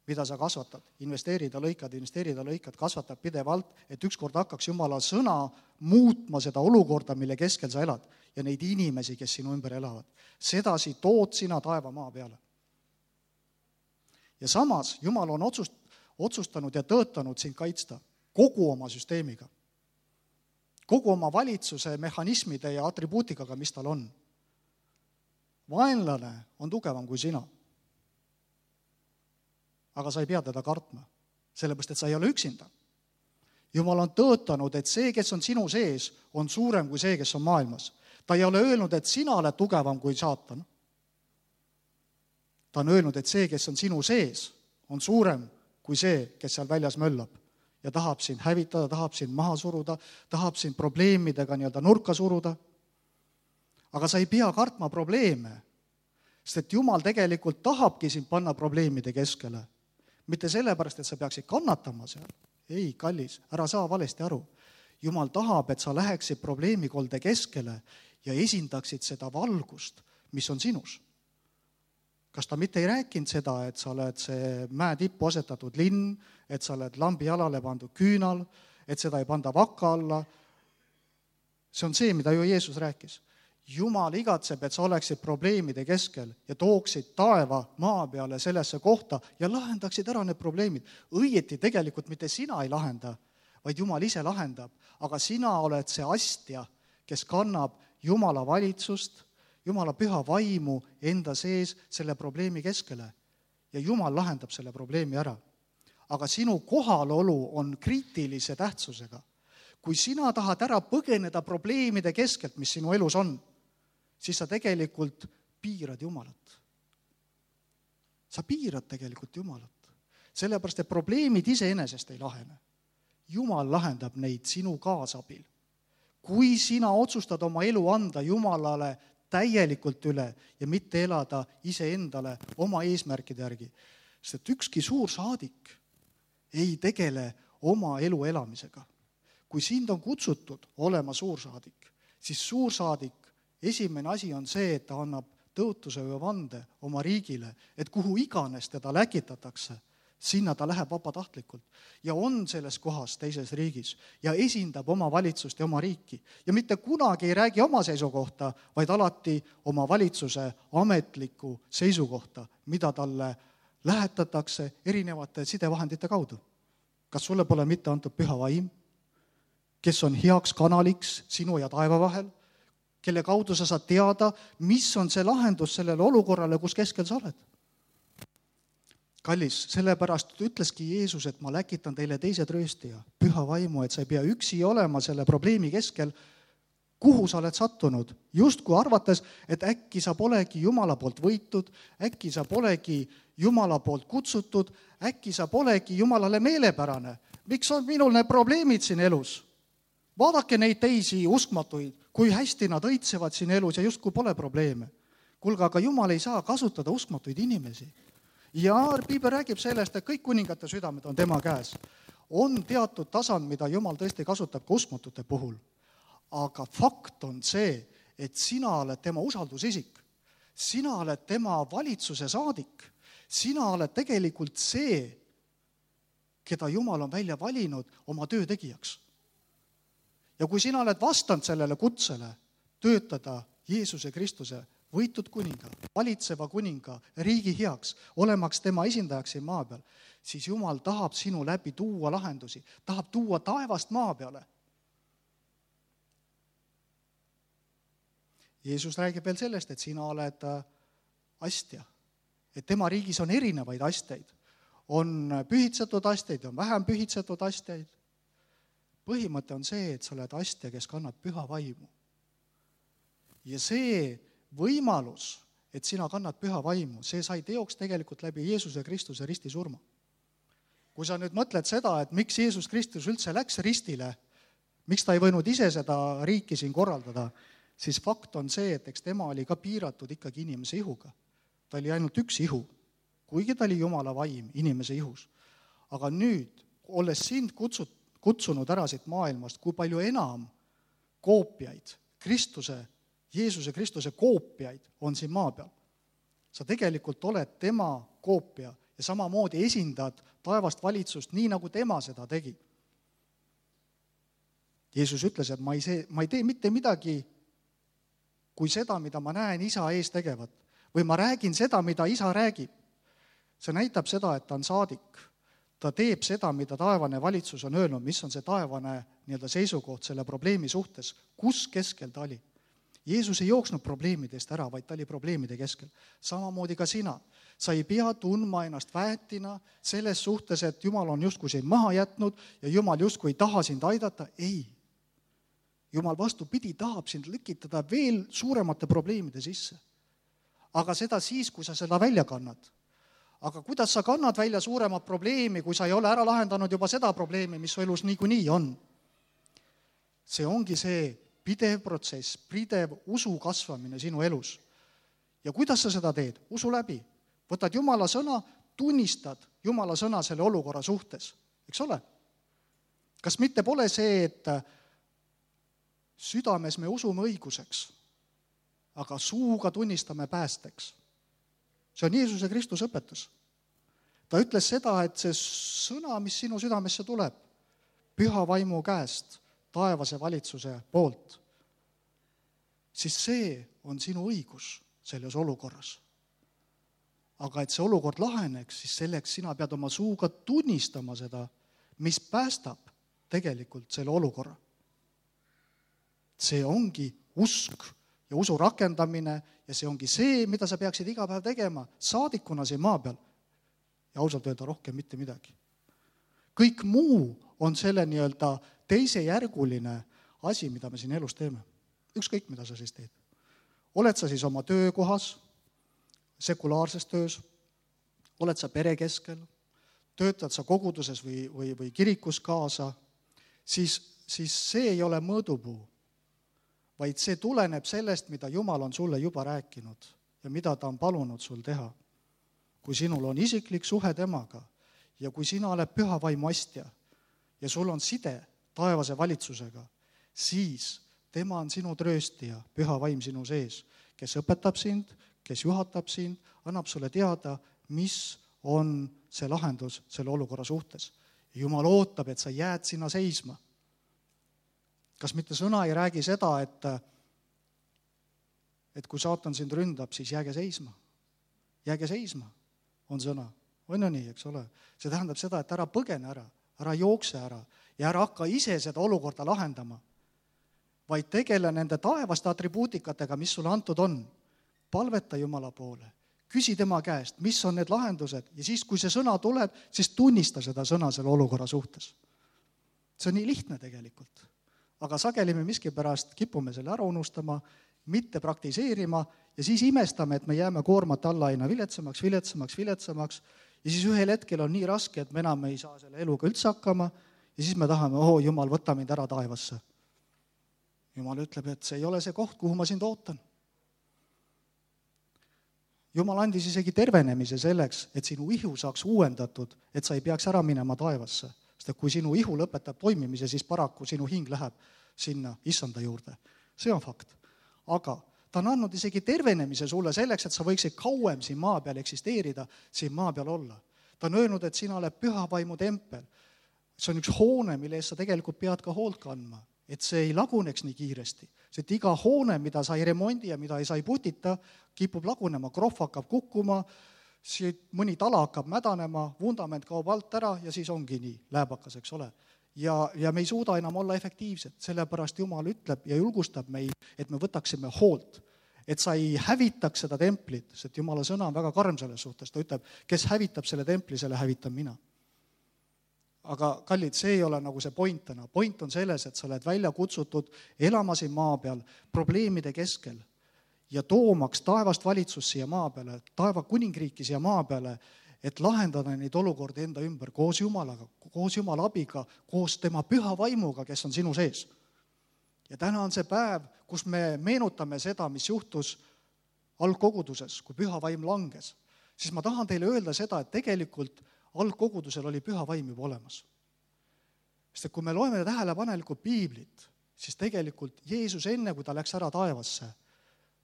mida sa kasvatad. Investeerida, lõikad, investeerida, lõikad, kasvatad pidevalt, et ükskord hakkaks Jumala sõna muutma seda olukorda, mille keskel sa elad ja neid inimesi, kes sinu ümber elavad. Sedasi tood sina taeva maa peale. Ja samas Jumal on otsust, otsustanud ja tõotanud sind kaitsta kogu oma süsteemiga, kogu oma valitsuse mehhanismide ja atribuutikaga, mis tal on. Vaenlane on tugevam kui sina. Aga sa ei pea teda kartma, sellepärast, et sa ei ole üksinda. Jumal on tõotanud, et see, kes on sinu sees, on suurem kui see, kes on maailmas. Ta ei ole öelnud, et sina oled tugevam kui saatan. Ta on öelnud, et see, kes on sinu sees, on suurem kui see, kes seal väljas möllab ja tahab sind hävitada, tahab sind maha suruda, tahab sind probleemidega nii-öelda nurka suruda. Aga sa ei pea kartma probleeme, sest et Jumal tegelikult tahabki sind panna probleemide keskele. Mitte sellepärast, et sa peaksid kannatama seal. Ei, kallis, ära saa valesti aru. Jumal tahab, et sa läheksid probleemikolde keskele ja esindaksid seda valgust, mis on sinus. Kas ta mitte ei rääkinud seda, et sa oled see mäe tippu asetatud linn, et sa oled lambi jalale pandud küünal, et seda ei panda vaka alla? See on see, mida ju Jeesus rääkis. Jumal igatseb, et sa oleksid probleemide keskel ja tooksid taeva maa peale sellesse kohta ja lahendaksid ära need probleemid. Õieti tegelikult mitte sina ei lahenda, vaid Jumal ise lahendab, aga sina oled see astja, kes kannab Jumala valitsust, Jumala püha vaimu enda sees selle probleemi keskele ja Jumal lahendab selle probleemi ära. Aga sinu kohalolu on kriitilise tähtsusega. Kui sina tahad ära põgeneda probleemide keskelt, mis sinu elus on, siis sa tegelikult piirad Jumalat. Sa piirad tegelikult Jumalat. Sellepärast, et probleemid iseenesest ei lahene. Jumal lahendab neid sinu kaasabil. Kui sina otsustad oma elu anda Jumalale täielikult üle ja mitte elada iseendale oma eesmärkide järgi, sest et ükski suur saadik ei tegele oma elu elamisega. Kui sind on kutsutud olema suursaadik, siis suursaadik esimene asi on see, et ta annab tõotuse või vande oma riigile, et kuhu iganes teda läkitatakse, sinna ta läheb vabatahtlikult ja on selles kohas teises riigis ja esindab oma valitsust ja oma riiki. Ja mitte kunagi ei räägi oma seisukohta, vaid alati oma valitsuse ametliku seisukohta, mida talle lähetatakse erinevate sidevahendite kaudu. Kas sulle pole mitte antud püha vaim, kes on heaks kanaliks sinu ja taeva vahel, kelle kaudu sa saad teada, mis on see lahendus sellele olukorrale, kus keskel sa oled. Kallis, sellepärast ütleski Jeesus, et ma läkitan teile teise trööstija, püha vaimu, et sa ei pea üksi olema selle probleemi keskel, kuhu sa oled sattunud, justku arvates, et äkki sa polegi Jumala poolt võitud, äkki sa polegi Jumala poolt kutsutud, äkki sa polegi Jumalale meelepärane. Miks on minul need probleemid siin elus? Vaadake neid teisi uskmatuid, kui hästi nad õitsevad siin elus ja justku pole probleeme. Kuulge, aga Jumal ei saa kasutada uskmatuid inimesi. Ja Piibel räägib sellest, et kõik kuningate südamed on tema käes. On teatud tasand, mida Jumal tõesti kasutab ka uskmatute puhul. Aga fakt on see, et sina oled tema usaldusisik. Sina oled tema valitsuse saadik. Sina oled tegelikult see, keda Jumal on välja valinud oma töö tegijaks. Ja kui sina oled vastanud sellele kutsele töötada Jeesuse Kristuse võitud kuninga, valitseva kuninga, riigi heaks, olemaks tema esindajaks siin maa peal, siis Jumal tahab sinu läbi tuua lahendusi, tahab tuua taevast maa peale. Jeesus räägib veel sellest, et sina oled astja, et tema riigis on erinevaid astjaid. On pühitsetud astjaid, on vähem pühitsetud astjaid. Põhimõte on see, et sa oled astja, kes kannab püha vaimu. Ja see võimalus, et sina kannad püha vaimu, see sai teoks tegelikult läbi Jeesuse Kristuse ristisurma. Kui sa nüüd mõtled seda, et miks Jeesus Kristus üldse läks ristile, miks ta ei võinud ise seda riiki siin korraldada, siis fakt on see, et eks tema oli ka piiratud ikkagi inimese ihuga. Ta oli ainult üks ihu, kuigi ta oli Jumala vaim inimese ihus. Aga nüüd, olles sind kutsut, kutsunud ära siit maailmast, kui palju enam koopiaid, Kristuse, Jeesuse Kristuse koopiaid on siin maa peal. Sa tegelikult oled tema koopia ja samamoodi esindad taevast valitsust, nii nagu tema seda tegi. Jeesus ütles, et ma ei, see, ma ei tee mitte midagi kui seda, mida ma näen isa ees tegevat. Või ma räägin seda, mida isa räägib. See näitab seda, et ta on saadik. Ta teeb seda, mida taevane valitsus on öelnud, mis on see taevane nii-öelda seisukoht selle probleemi suhtes, kus keskel ta oli. Jeesus ei jooksnud probleemidest ära, vaid ta oli probleemide keskel. Samamoodi ka sina. Sa ei pea tundma ennast väetina selles suhtes, et Jumal on justkui sind maha jätnud ja Jumal justkui ei taha sind aidata. Ei. Jumal vastupidi tahab sind lükitada veel suuremate probleemide sisse. Aga seda siis, kui sa seda välja kannad. Aga kuidas sa kannad välja suuremat probleemi, kui sa ei ole ära lahendanud juba seda probleemi, mis su elus niikuinii on? See ongi see pidev protsess, pidev usu kasvamine sinu elus. Ja kuidas sa seda teed? Usu läbi. Võtad Jumala sõna, tunnistad Jumala sõna selle olukorra suhtes. Eks ole? Kas mitte pole see, et südames me usume õiguseks, aga suuga tunnistame päästeks? See on Jeesuse Kristus õpetus. Ta ütles seda, et see sõna, mis sinu südamesse tuleb, püha vaimu käest, taevase valitsuse poolt, siis see on sinu õigus selles olukorras. Aga et see olukord laheneks, siis selleks sina pead oma suuga tunnistama seda, mis päästab tegelikult selle olukorra. See ongi usk ja usu rakendamine ja see ongi see, mida sa peaksid iga päev tegema saadikuna siin maa peal. Ja ausalt öelda rohkem mitte midagi. Kõik muu on selle nii-öelda teisejärguline asi, mida me siin elus teeme. Ükskõik, mida sa siis teed. Oled sa siis oma töökohas, sekulaarses töös, oled sa pere keskel, töötad sa koguduses või, või, või kirikus kaasa, siis, siis see ei ole mõõdupuu, vaid see tuleneb sellest, mida Jumal on sulle juba rääkinud ja mida ta on palunud sul teha. Kui sinul on isiklik suhe temaga ja kui sina oled püha vaimu astja ja sul on side taevase valitsusega, siis tema on sinu trööstija, püha vaim sinu sees, kes õpetab sind, kes juhatab sind, annab sulle teada, mis on see lahendus selle olukorra suhtes. Jumal ootab, et sa jääd sinna seisma. Kas mitte sõna ei räägi seda, et, et kui saatan sind ründab, siis jääge seisma. Jääge seisma on sõna. On ju nii, eks ole? See tähendab seda, et ära põgene ära, ära jookse ära ja ära hakka ise seda olukorda lahendama, vaid tegele nende taevaste atribuutikatega, mis sulle antud on. Palveta Jumala poole, küsi tema käest, mis on need lahendused ja siis, kui see sõna tuleb, siis tunnista seda sõna selle olukorra suhtes. See on nii lihtne tegelikult. Aga sageli me miskipärast kipume selle ära unustama, mitte praktiseerima ja siis imestame, et me jääme koormat alla aina viletsamaks, viletsamaks, viletsamaks ja siis ühel hetkel on nii raske, et me enam ei saa selle eluga üldse hakkama ja siis me tahame, oh Jumal, võta mind ära taevasse. Jumal ütleb, et see ei ole see koht, kuhu ma sind ootan. Jumal andis isegi tervenemise selleks, et sinu ihu saaks uuendatud, et sa ei peaks ära minema taevasse. Sest kui sinu ihu lõpetab toimimise, siis paraku sinu hing läheb sinna issanda juurde. See on fakt. Aga ta on andnud isegi tervenemise sulle selleks, et sa võiksid kauem siin maa peal eksisteerida, siin maa peal olla. Ta on öelnud, et sina oled püha vaimu tempel. See on üks hoone, mille eest sa tegelikult pead ka hoolt kandma. Et see ei laguneks nii kiiresti. See, et iga hoone, mida sa ei remondi ja mida ei saa putita, kipub lagunema, krohv hakkab kukkuma, mõni tala hakkab mädanema, vundament kaob alt ära ja siis ongi nii lääbakas, eks ole. Ja, ja me ei suuda enam olla efektiivsed, sellepärast Jumal ütleb ja julgustab meid, et me võtaksime hoolt, et sa ei hävitaks seda templit, sest Jumala sõna on väga karm selles suhtes, ta ütleb, kes hävitab selle templi, selle hävitan mina. Aga kallid, see ei ole nagu see point täna. Point on selles, et sa oled välja kutsutud elama siin maa peal probleemide keskel ja toomaks taevast valitsust siia maa peale, taeva kuningriiki siia maa peale, et lahendada neid olukordi enda ümber koos Jumalaga, koos Jumala abiga, koos tema püha vaimuga, kes on sinu sees. Ja täna on see päev, kus me meenutame seda, mis juhtus algkoguduses, kui püha vaim langes. Siis ma tahan teile öelda seda, et tegelikult algkogudusel oli püha vaim juba olemas. Sest et kui me loeme tähelepanelikult piiblit, siis tegelikult Jeesus enne, kui ta läks ära taevasse,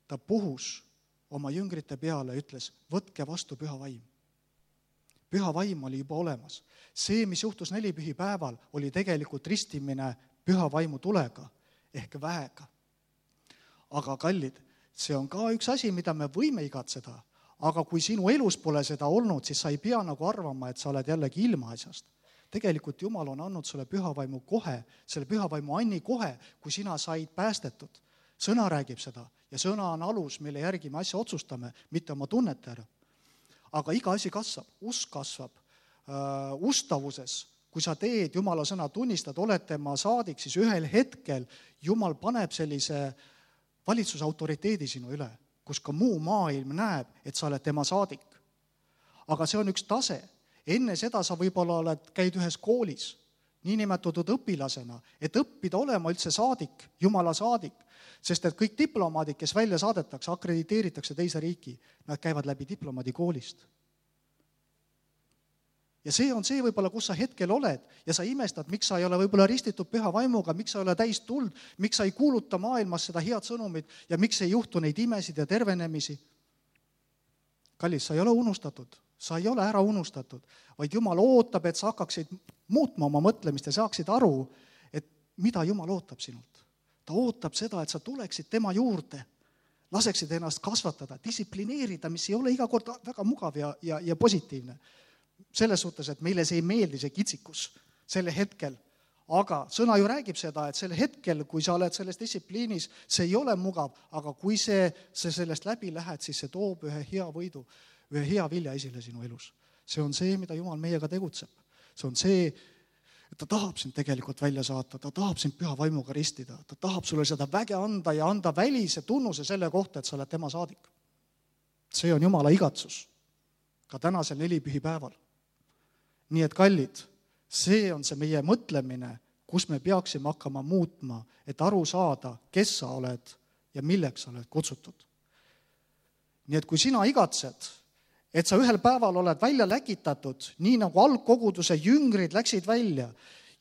ta puhus oma jüngrite peale ja ütles, võtke vastu püha vaim. Püha vaim oli juba olemas. See, mis juhtus nelipühi päeval, oli tegelikult ristimine püha vaimu tulega ehk väega. Aga kallid, see on ka üks asi, mida me võime igatseda, aga kui sinu elus pole seda olnud, siis sa ei pea nagu arvama, et sa oled jällegi ilma asjast. Tegelikult Jumal on andnud sulle pühavaimu kohe, selle pühavaimu anni kohe, kui sina said päästetud. Sõna räägib seda ja sõna on alus, mille järgi me asja otsustame, mitte oma tunnete ära. Aga iga asi kasvab, usk kasvab uh, ustavuses. Kui sa teed Jumala sõna tunnistad, oled tema saadik, siis ühel hetkel Jumal paneb sellise valitsuse autoriteedi sinu üle, kus ka muu maailm näeb, et sa oled tema saadik. Aga see on üks tase. Enne seda sa võib-olla oled, käid ühes koolis, niinimetatud õpilasena, et õppida olema üldse saadik, Jumala saadik, sest et kõik diplomaadid, kes välja saadetakse, akrediteeritakse teise riiki, nad käivad läbi diplomaadi koolist. Ja see on see võib-olla, kus sa hetkel oled ja sa imestad, miks sa ei ole võib-olla ristitud püha vaimuga, miks sa ei ole täis tuld, miks sa ei kuuluta maailmas seda head sõnumit ja miks ei juhtu neid imesid ja tervenemisi. Kallis, sa ei ole unustatud, sa ei ole ära unustatud, vaid Jumal ootab, et sa hakkaksid muutma oma mõtlemist ja saaksid aru, et mida Jumal ootab sinult. Ta ootab seda, et sa tuleksid tema juurde, laseksid ennast kasvatada, distsiplineerida, mis ei ole iga kord väga mugav ja, ja, ja positiivne. Selles suhtes, et meile see ei meeldi see kitsikus selle hetkel, aga sõna ju räägib seda, et sel hetkel, kui sa oled selles distsipliinis, see ei ole mugav, aga kui see, see sellest läbi lähed, siis see toob ühe hea võidu, ühe hea vilja esile sinu elus. See on see, mida Jumal meiega tegutseb. See on see, et ta tahab sind tegelikult välja saata, ta tahab sind püha vaimuga ristida, ta tahab sulle seda väge anda ja anda välise tunnuse selle kohta, et sa oled tema saadik. See on Jumala igatsus, ka tänasel nelipühi päeval. Nii et kallid, see on see meie mõtlemine, kus me peaksime hakkama muutma, et aru saada, kes sa oled ja milleks sa oled kutsutud. Nii et kui sina igatsed, et sa ühel päeval oled välja läkitatud, nii nagu algkoguduse jüngrid läksid välja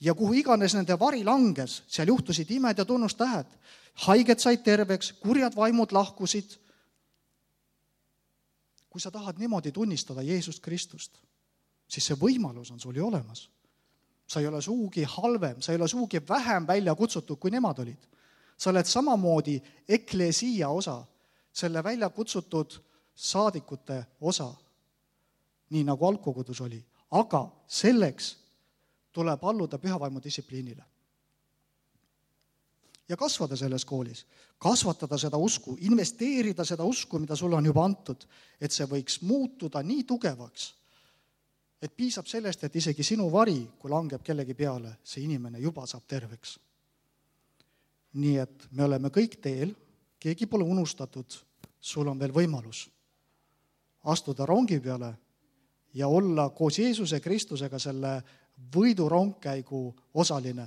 ja kuhu iganes nende vari langes, seal juhtusid imed ja tunnustähed, haiged said terveks, kurjad vaimud lahkusid. Kui sa tahad niimoodi tunnistada Jeesust Kristust, siis see võimalus on sul ju olemas. Sa ei ole suugi halvem, sa ei ole suugi vähem välja kutsutud, kui nemad olid. Sa oled samamoodi eklesia osa, selle välja kutsutud saadikute osa, nii nagu algkogudus oli. Aga selleks tuleb alluda pühavaimu distsipliinile. Ja kasvada selles koolis, kasvatada seda usku, investeerida seda usku, mida sulle on juba antud, et see võiks muutuda nii tugevaks, et piisab sellest, et isegi sinu vari, kui langeb kellegi peale, see inimene juba saab terveks. Nii et me oleme kõik teel, keegi pole unustatud, sul on veel võimalus astuda rongi peale ja olla koos Jeesuse Kristusega selle võidurongkäigu osaline.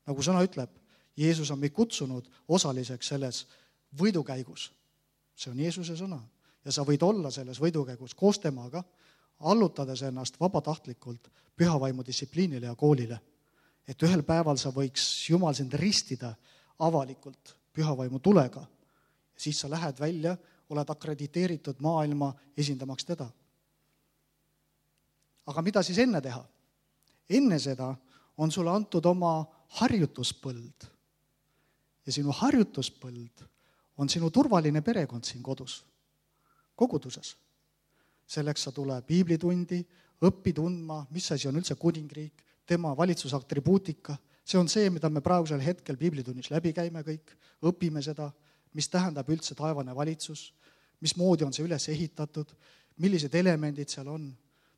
Nagu sõna ütleb, Jeesus on meid kutsunud osaliseks selles võidukäigus. See on Jeesuse sõna ja sa võid olla selles võidukäigus koos temaga, allutades ennast vabatahtlikult pühavaimu distsipliinile ja koolile. Et ühel päeval sa võiks Jumal sind ristida avalikult pühavaimu tulega. Ja siis sa lähed välja, oled akrediteeritud maailma esindamaks teda. Aga mida siis enne teha? Enne seda on sulle antud oma harjutuspõld. Ja sinu harjutuspõld on sinu turvaline perekond siin kodus, koguduses. Selleks sa tule piiblitundi, õppi tundma, mis asi on üldse kuningriik, tema valitsusaktribuutika. See on see, mida me praegusel hetkel piiblitunnis läbi käime kõik, õpime seda, mis tähendab üldse taevane valitsus, mismoodi on see üles ehitatud, millised elemendid seal on.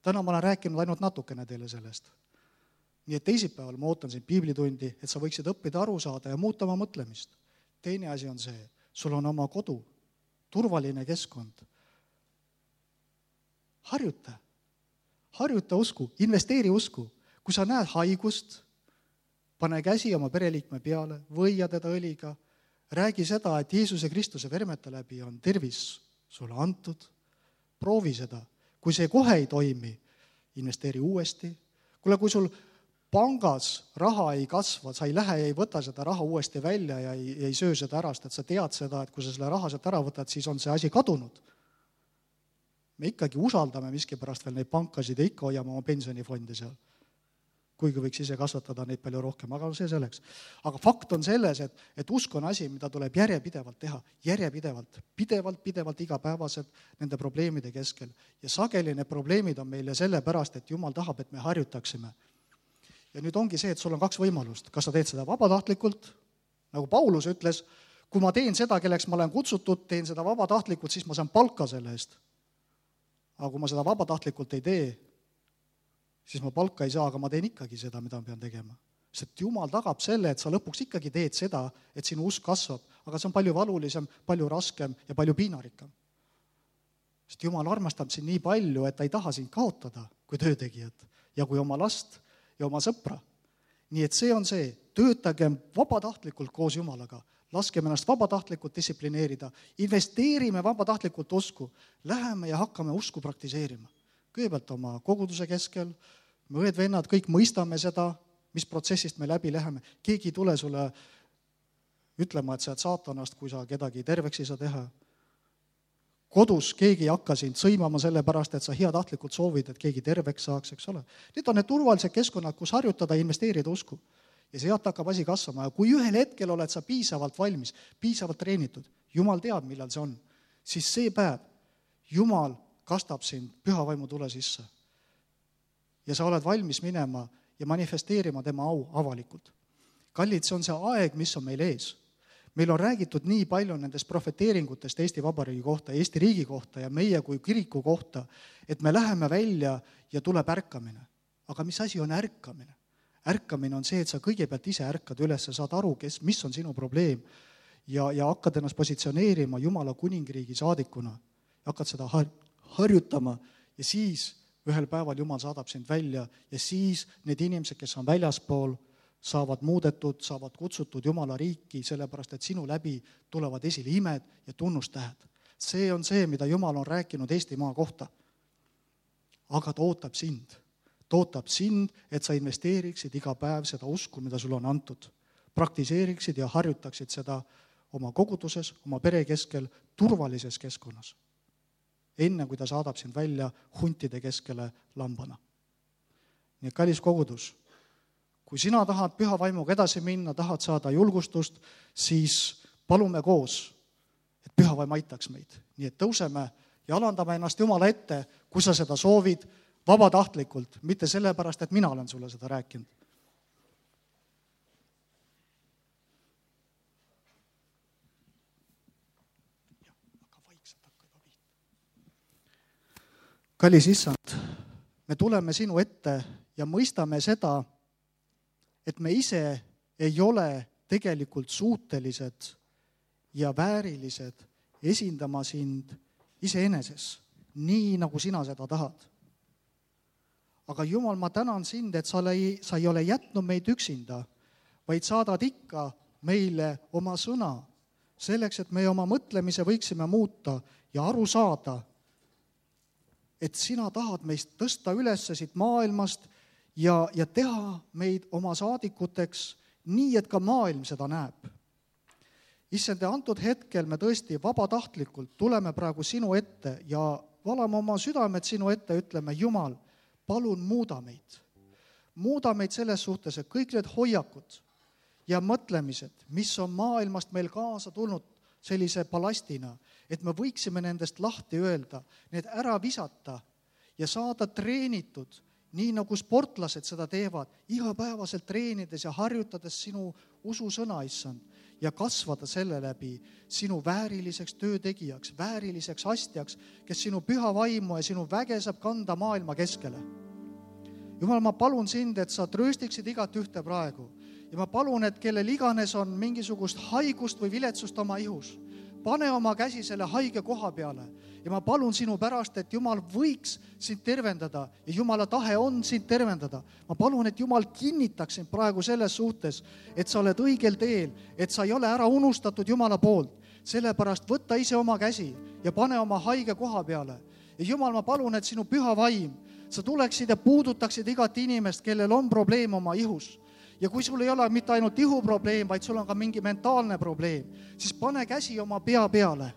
Täna ma olen rääkinud ainult natukene teile sellest. Nii et teisipäeval ma ootan sind piiblitundi, et sa võiksid õppida aru saada ja muuta oma mõtlemist. Teine asi on see, sul on oma kodu, turvaline keskkond. Harjuta, harjuta usku, investeeri usku. Kui sa näed haigust, pane käsi oma pereliikme peale, võia teda õliga, räägi seda, et Jeesuse Kristuse vermete läbi on tervis sulle antud, proovi seda. Kui see kohe ei toimi, investeeri uuesti. Kuule, kui sul pangas raha ei kasva, sa ei lähe ja ei võta seda raha uuesti välja ja ei, ei söö seda ära, sest et sa tead seda, et kui sa selle raha sealt ära võtad, siis on see asi kadunud. Me ikkagi usaldame miskipärast veel neid pankasid ja ikka hoiame oma pensionifonde seal. Kuigi võiks ise kasvatada neid palju rohkem, aga see selleks. Aga fakt on selles, et, et usk on asi, mida tuleb järjepidevalt teha, järjepidevalt, pidevalt, pidevalt, igapäevaselt nende probleemide keskel. Ja sageli need probleemid on meile sellepärast, et Jumal tahab, et me harjutaksime. Ja nüüd ongi see, et sul on kaks võimalust. Kas sa teed seda vabatahtlikult, nagu Paulus ütles, kui ma teen seda, kelleks ma olen kutsutud, teen seda vabatahtlikult, siis ma saan palka selle eest. Aga kui ma seda vabatahtlikult ei tee, siis ma palka ei saa, aga ma teen ikkagi seda, mida ma pean tegema. Sest Jumal tagab selle, et sa lõpuks ikkagi teed seda, et sinu usk kasvab, aga see on palju valulisem, palju raskem ja palju piinarikkam. Sest Jumal armastab sind nii palju, et ta ei taha sind kaotada kui töötegijat ja kui oma last ja oma sõpra. Nii et see on see, töötagem vabatahtlikult koos Jumalaga, laskem ennast vabatahtlikult distsiplineerida, investeerime vabatahtlikult usku, läheme ja hakkame usku praktiseerima. Kõigepealt oma koguduse keskel, me õed-vennad, kõik mõistame seda, mis protsessist me läbi läheme. Keegi ei tule sulle ütlema, et sa oled saatanast, kui sa kedagi terveks ei saa teha. Kodus keegi ei hakka sind sõimama selle pärast, et sa heatahtlikult soovid, et keegi terveks saaks, eks ole. Need on need turvalised keskkonnad, kus harjutada ja investeerida usku. Ja sealt hakkab asi kasvama. Ja kui ühel hetkel oled sa piisavalt valmis, piisavalt treenitud, Jumal teab, millal see on, siis see päev Jumal kastab sind püha vaimu tule sisse. Ja sa oled valmis minema ja manifesteerima tema au avalikult. Kallid, see on see aeg, mis on meil ees. Meil on räägitud nii palju nendest profeteeringutest Eesti Vabariigi kohta, Eesti riigi kohta ja meie kui kiriku kohta, et me läheme välja ja tuleb ärkamine. Aga mis asi on ärkamine? Ärkamine on see, et sa kõigepealt ise ärkad üles, sa saad aru, kes, mis on sinu probleem ja, ja hakkad ennast positsioneerima Jumala kuningriigi saadikuna. Ja hakkad seda har- harjutama ja siis ühel päeval Jumal saadab sind välja ja siis need inimesed, kes on väljaspool, saavad muudetud, saavad kutsutud Jumala riiki, sellepärast et sinu läbi tulevad esile imed ja tunnustähed. See on see, mida Jumal on rääkinud Eestimaa kohta. Aga ta ootab sind. Ta ootab sind, et sa investeeriksid iga päev seda usku, mida sul on antud. Praktiseeriksid ja harjutaksid seda oma koguduses, oma pere keskel, turvalises keskkonnas. Enne kui ta saadab sind välja huntide keskele lambana. Nii et kallis kogudus, kui sina tahad püha vaimuga edasi minna, tahad saada julgustust, siis palume koos, et püha vaim aitaks meid. Nii et tõuseme ja alandame ennast Jumala ette, kui sa seda soovid vabatahtlikult, mitte sellepärast, et mina olen sulle seda rääkinud. Kallis issand, me tuleme sinu ette ja mõistame seda, et me ise ei ole tegelikult suutelised ja väärilised esindama sind iseeneses, nii nagu sina seda tahad. Aga Jumal, ma tänan sind, et sa ei, sa ei ole jätnud meid üksinda, vaid saadad ikka meile oma sõna, selleks, et me oma mõtlemise võiksime muuta ja aru saada, et sina tahad meist tõsta üles siit maailmast ja, ja teha meid oma saadikuteks nii, et ka maailm seda näeb. Issand, antud hetkel me tõesti vabatahtlikult tuleme praegu sinu ette ja valame oma südamed sinu ette, ütleme, Jumal, palun muuda meid. Muuda meid selles suhtes, et kõik need hoiakud ja mõtlemised, mis on maailmast meil kaasa tulnud sellise balastina, et me võiksime nendest lahti öelda, need ära visata ja saada treenitud, nii nagu sportlased seda teevad, igapäevaselt treenides ja harjutades sinu ususõna, issand, ja kasvada selle läbi sinu vääriliseks töötegijaks, vääriliseks astjaks, kes sinu püha vaimu ja sinu väge saab kanda maailma keskele. Jumal, ma palun sind, et sa trööstiksid igat ühte praegu ja ma palun, et kellel iganes on mingisugust haigust või viletsust oma ihus, pane oma käsi selle haige koha peale ja ma palun sinu pärast, et Jumal võiks sind tervendada ja Jumala tahe on sind tervendada. Ma palun, et Jumal kinnitaks sind praegu selles suhtes, et sa oled õigel teel, et sa ei ole ära unustatud Jumala poolt. Sellepärast võtta ise oma käsi ja pane oma haige koha peale. Ja Jumal, ma palun, et sinu püha vaim sa tuleksid ja puudutaksid igat inimest, kellel on probleem oma ihus. Ja kui sul ei ole mitte ainult ihuprobleem, vaid sul on ka mingi mentaalne probleem, siis pane käsi oma pea peale.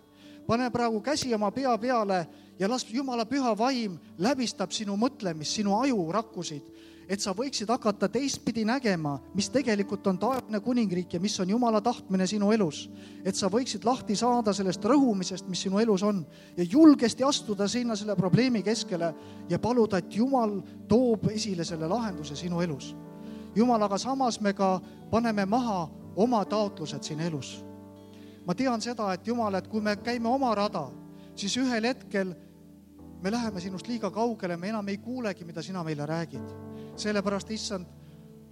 Pane praegu käsi oma pea peale ja las Jumala püha vaim läbistab sinu mõtlemist, sinu aju rakkusid, et sa võiksid hakata teistpidi nägema, mis tegelikult on taevane kuningriik ja mis on Jumala tahtmine sinu elus. Et sa võiksid lahti saada sellest rõhumisest, mis sinu elus on ja julgesti astuda sinna selle probleemi keskele ja paluda, et Jumal toob esile selle lahenduse sinu elus. Jumal, aga samas me ka paneme maha oma taotlused siin elus. Ma tean seda, et Jumal, et kui me käime oma rada, siis ühel hetkel me läheme sinust liiga kaugele, me enam ei kuulegi, mida sina meile räägid. Sellepärast, issand,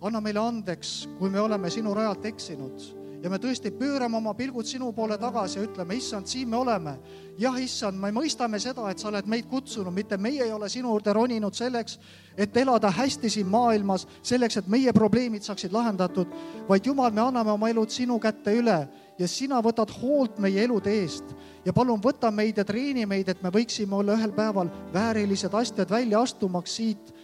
anna meile andeks, kui me oleme sinu rajalt eksinud ja me tõesti pöörame oma pilgud sinu poole tagasi ja ütleme, issand, siin me oleme. Jah, issand, me mõistame seda, et sa oled meid kutsunud, mitte meie ei ole sinu juurde roninud selleks, et elada hästi siin maailmas, selleks, et meie probleemid saaksid lahendatud, vaid Jumal, me anname oma elud sinu kätte üle ja sina võtad hoolt meie elude eest. Ja palun võta meid ja treeni meid, et me võiksime olla ühel päeval väärilised astjad välja astumaks siit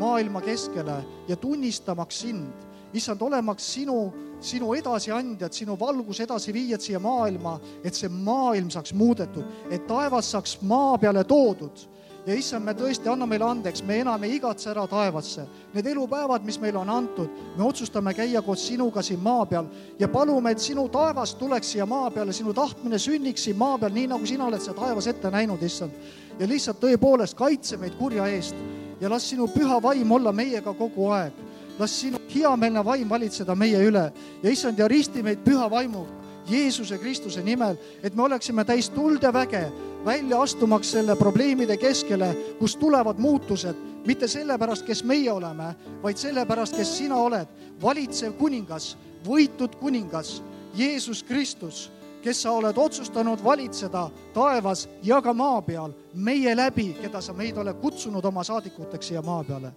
maailma keskele ja tunnistamaks sind. Issand, olemaks sinu, sinu edasiandjad, sinu valgus edasi viijad siia maailma, et see maailm saaks muudetud, et taevas saaks maa peale toodud. Ja issand, me tõesti anna meile andeks, me enam ei igatse ära taevasse. Need elupäevad, mis meile on antud, me otsustame käia koos sinuga siin maa peal ja palume, et sinu taevas tuleks siia maa peale, sinu tahtmine sünniks siin maa peal, nii nagu sina oled seda taevas ette näinud, issand. Ja lihtsalt tõepoolest kaitse meid kurja eest ja las sinu püha vaim olla meiega kogu aeg. Las sinu heameelne vaim valitseda meie üle ja issand, ja risti meid püha vaimu Jeesuse Kristuse nimel, et me oleksime täis tuld ja väge välja astumaks selle probleemide keskele, kus tulevad muutused, mitte sellepärast, kes meie oleme, vaid sellepärast, kes sina oled, valitsev kuningas, võitud kuningas, Jeesus Kristus, kes sa oled otsustanud valitseda taevas ja ka maa peal, meie läbi, keda sa meid ole kutsunud oma saadikuteks siia maa peale.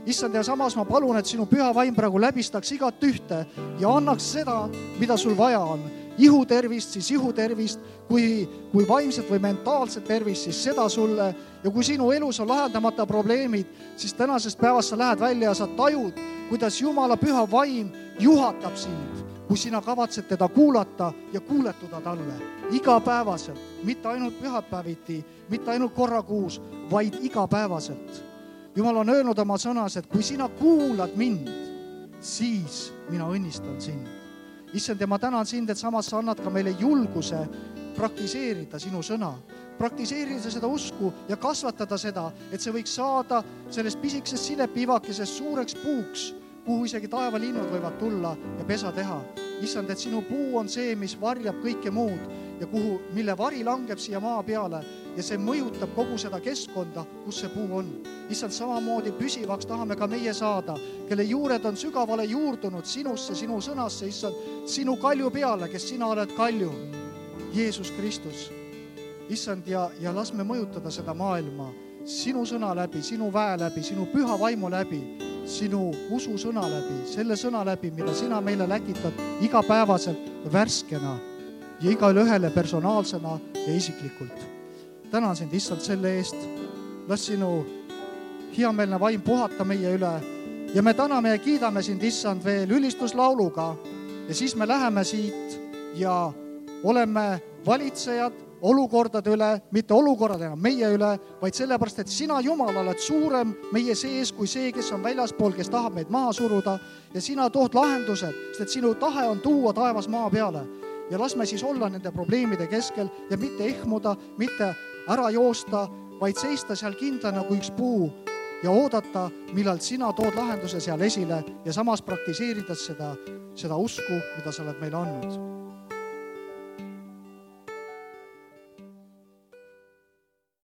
Issand, ja samas ma palun, et sinu püha vaim praegu läbistaks igat ühte ja annaks seda, mida sul vaja on. Ihutervist, siis ihutervist, kui, kui vaimset või mentaalset tervist, siis seda sulle. Ja kui sinu elus on lahendamata probleemid, siis tänasest päevast sa lähed välja ja sa tajud, kuidas Jumala püha vaim juhatab sind, kui sina kavatsed teda kuulata ja kuuletuda talle igapäevaselt, mitte ainult pühapäeviti, mitte ainult korra kuus, vaid igapäevaselt. Jumal on öelnud oma sõnas, et kui sina kuulad mind, siis mina õnnistan sind. Issand, ja ma tänan sind, et samas sa annad ka meile julguse praktiseerida sinu sõna, praktiseerida seda usku ja kasvatada seda, et see võiks saada sellest pisikesest silepivakesest suureks puuks, kuhu isegi taevalinnud võivad tulla ja pesa teha. Issand, et sinu puu on see, mis varjab kõike muud ja kuhu, mille vari langeb siia maa peale ja see mõjutab kogu seda keskkonda, kus see puu on. Issand, samamoodi püsivaks tahame ka meie saada, kelle juured on sügavale juurdunud sinusse, sinu sõnasse, issand, sinu kalju peale, kes sina oled kalju, Jeesus Kristus. Issand, ja, ja las me mõjutada seda maailma sinu sõna läbi, sinu väe läbi, sinu püha vaimu läbi, sinu usu sõna läbi, selle sõna läbi, mida sina meile läkitad igapäevaselt värskena ja igale ühele personaalsena ja isiklikult. Tänan sind, issand, selle eest. Las sinu heameelne vaim puhata meie üle ja me täname ja kiidame sind, issand, veel ülistuslauluga ja siis me läheme siit ja oleme valitsejad olukordade üle, mitte olukorradena meie üle, vaid sellepärast, et sina, Jumal, oled suurem meie sees kui see, kes on väljaspool, kes tahab meid maha suruda ja sina tood lahendused, sest et sinu tahe on tuua taevas maa peale ja las me siis olla nende probleemide keskel ja mitte ehmuda, mitte ära joosta, vaid seista seal kindla nagu üks puu ja oodata, millal sina tood lahenduse seal esile ja samas praktiseerida seda, seda usku, mida sa oled meile andnud.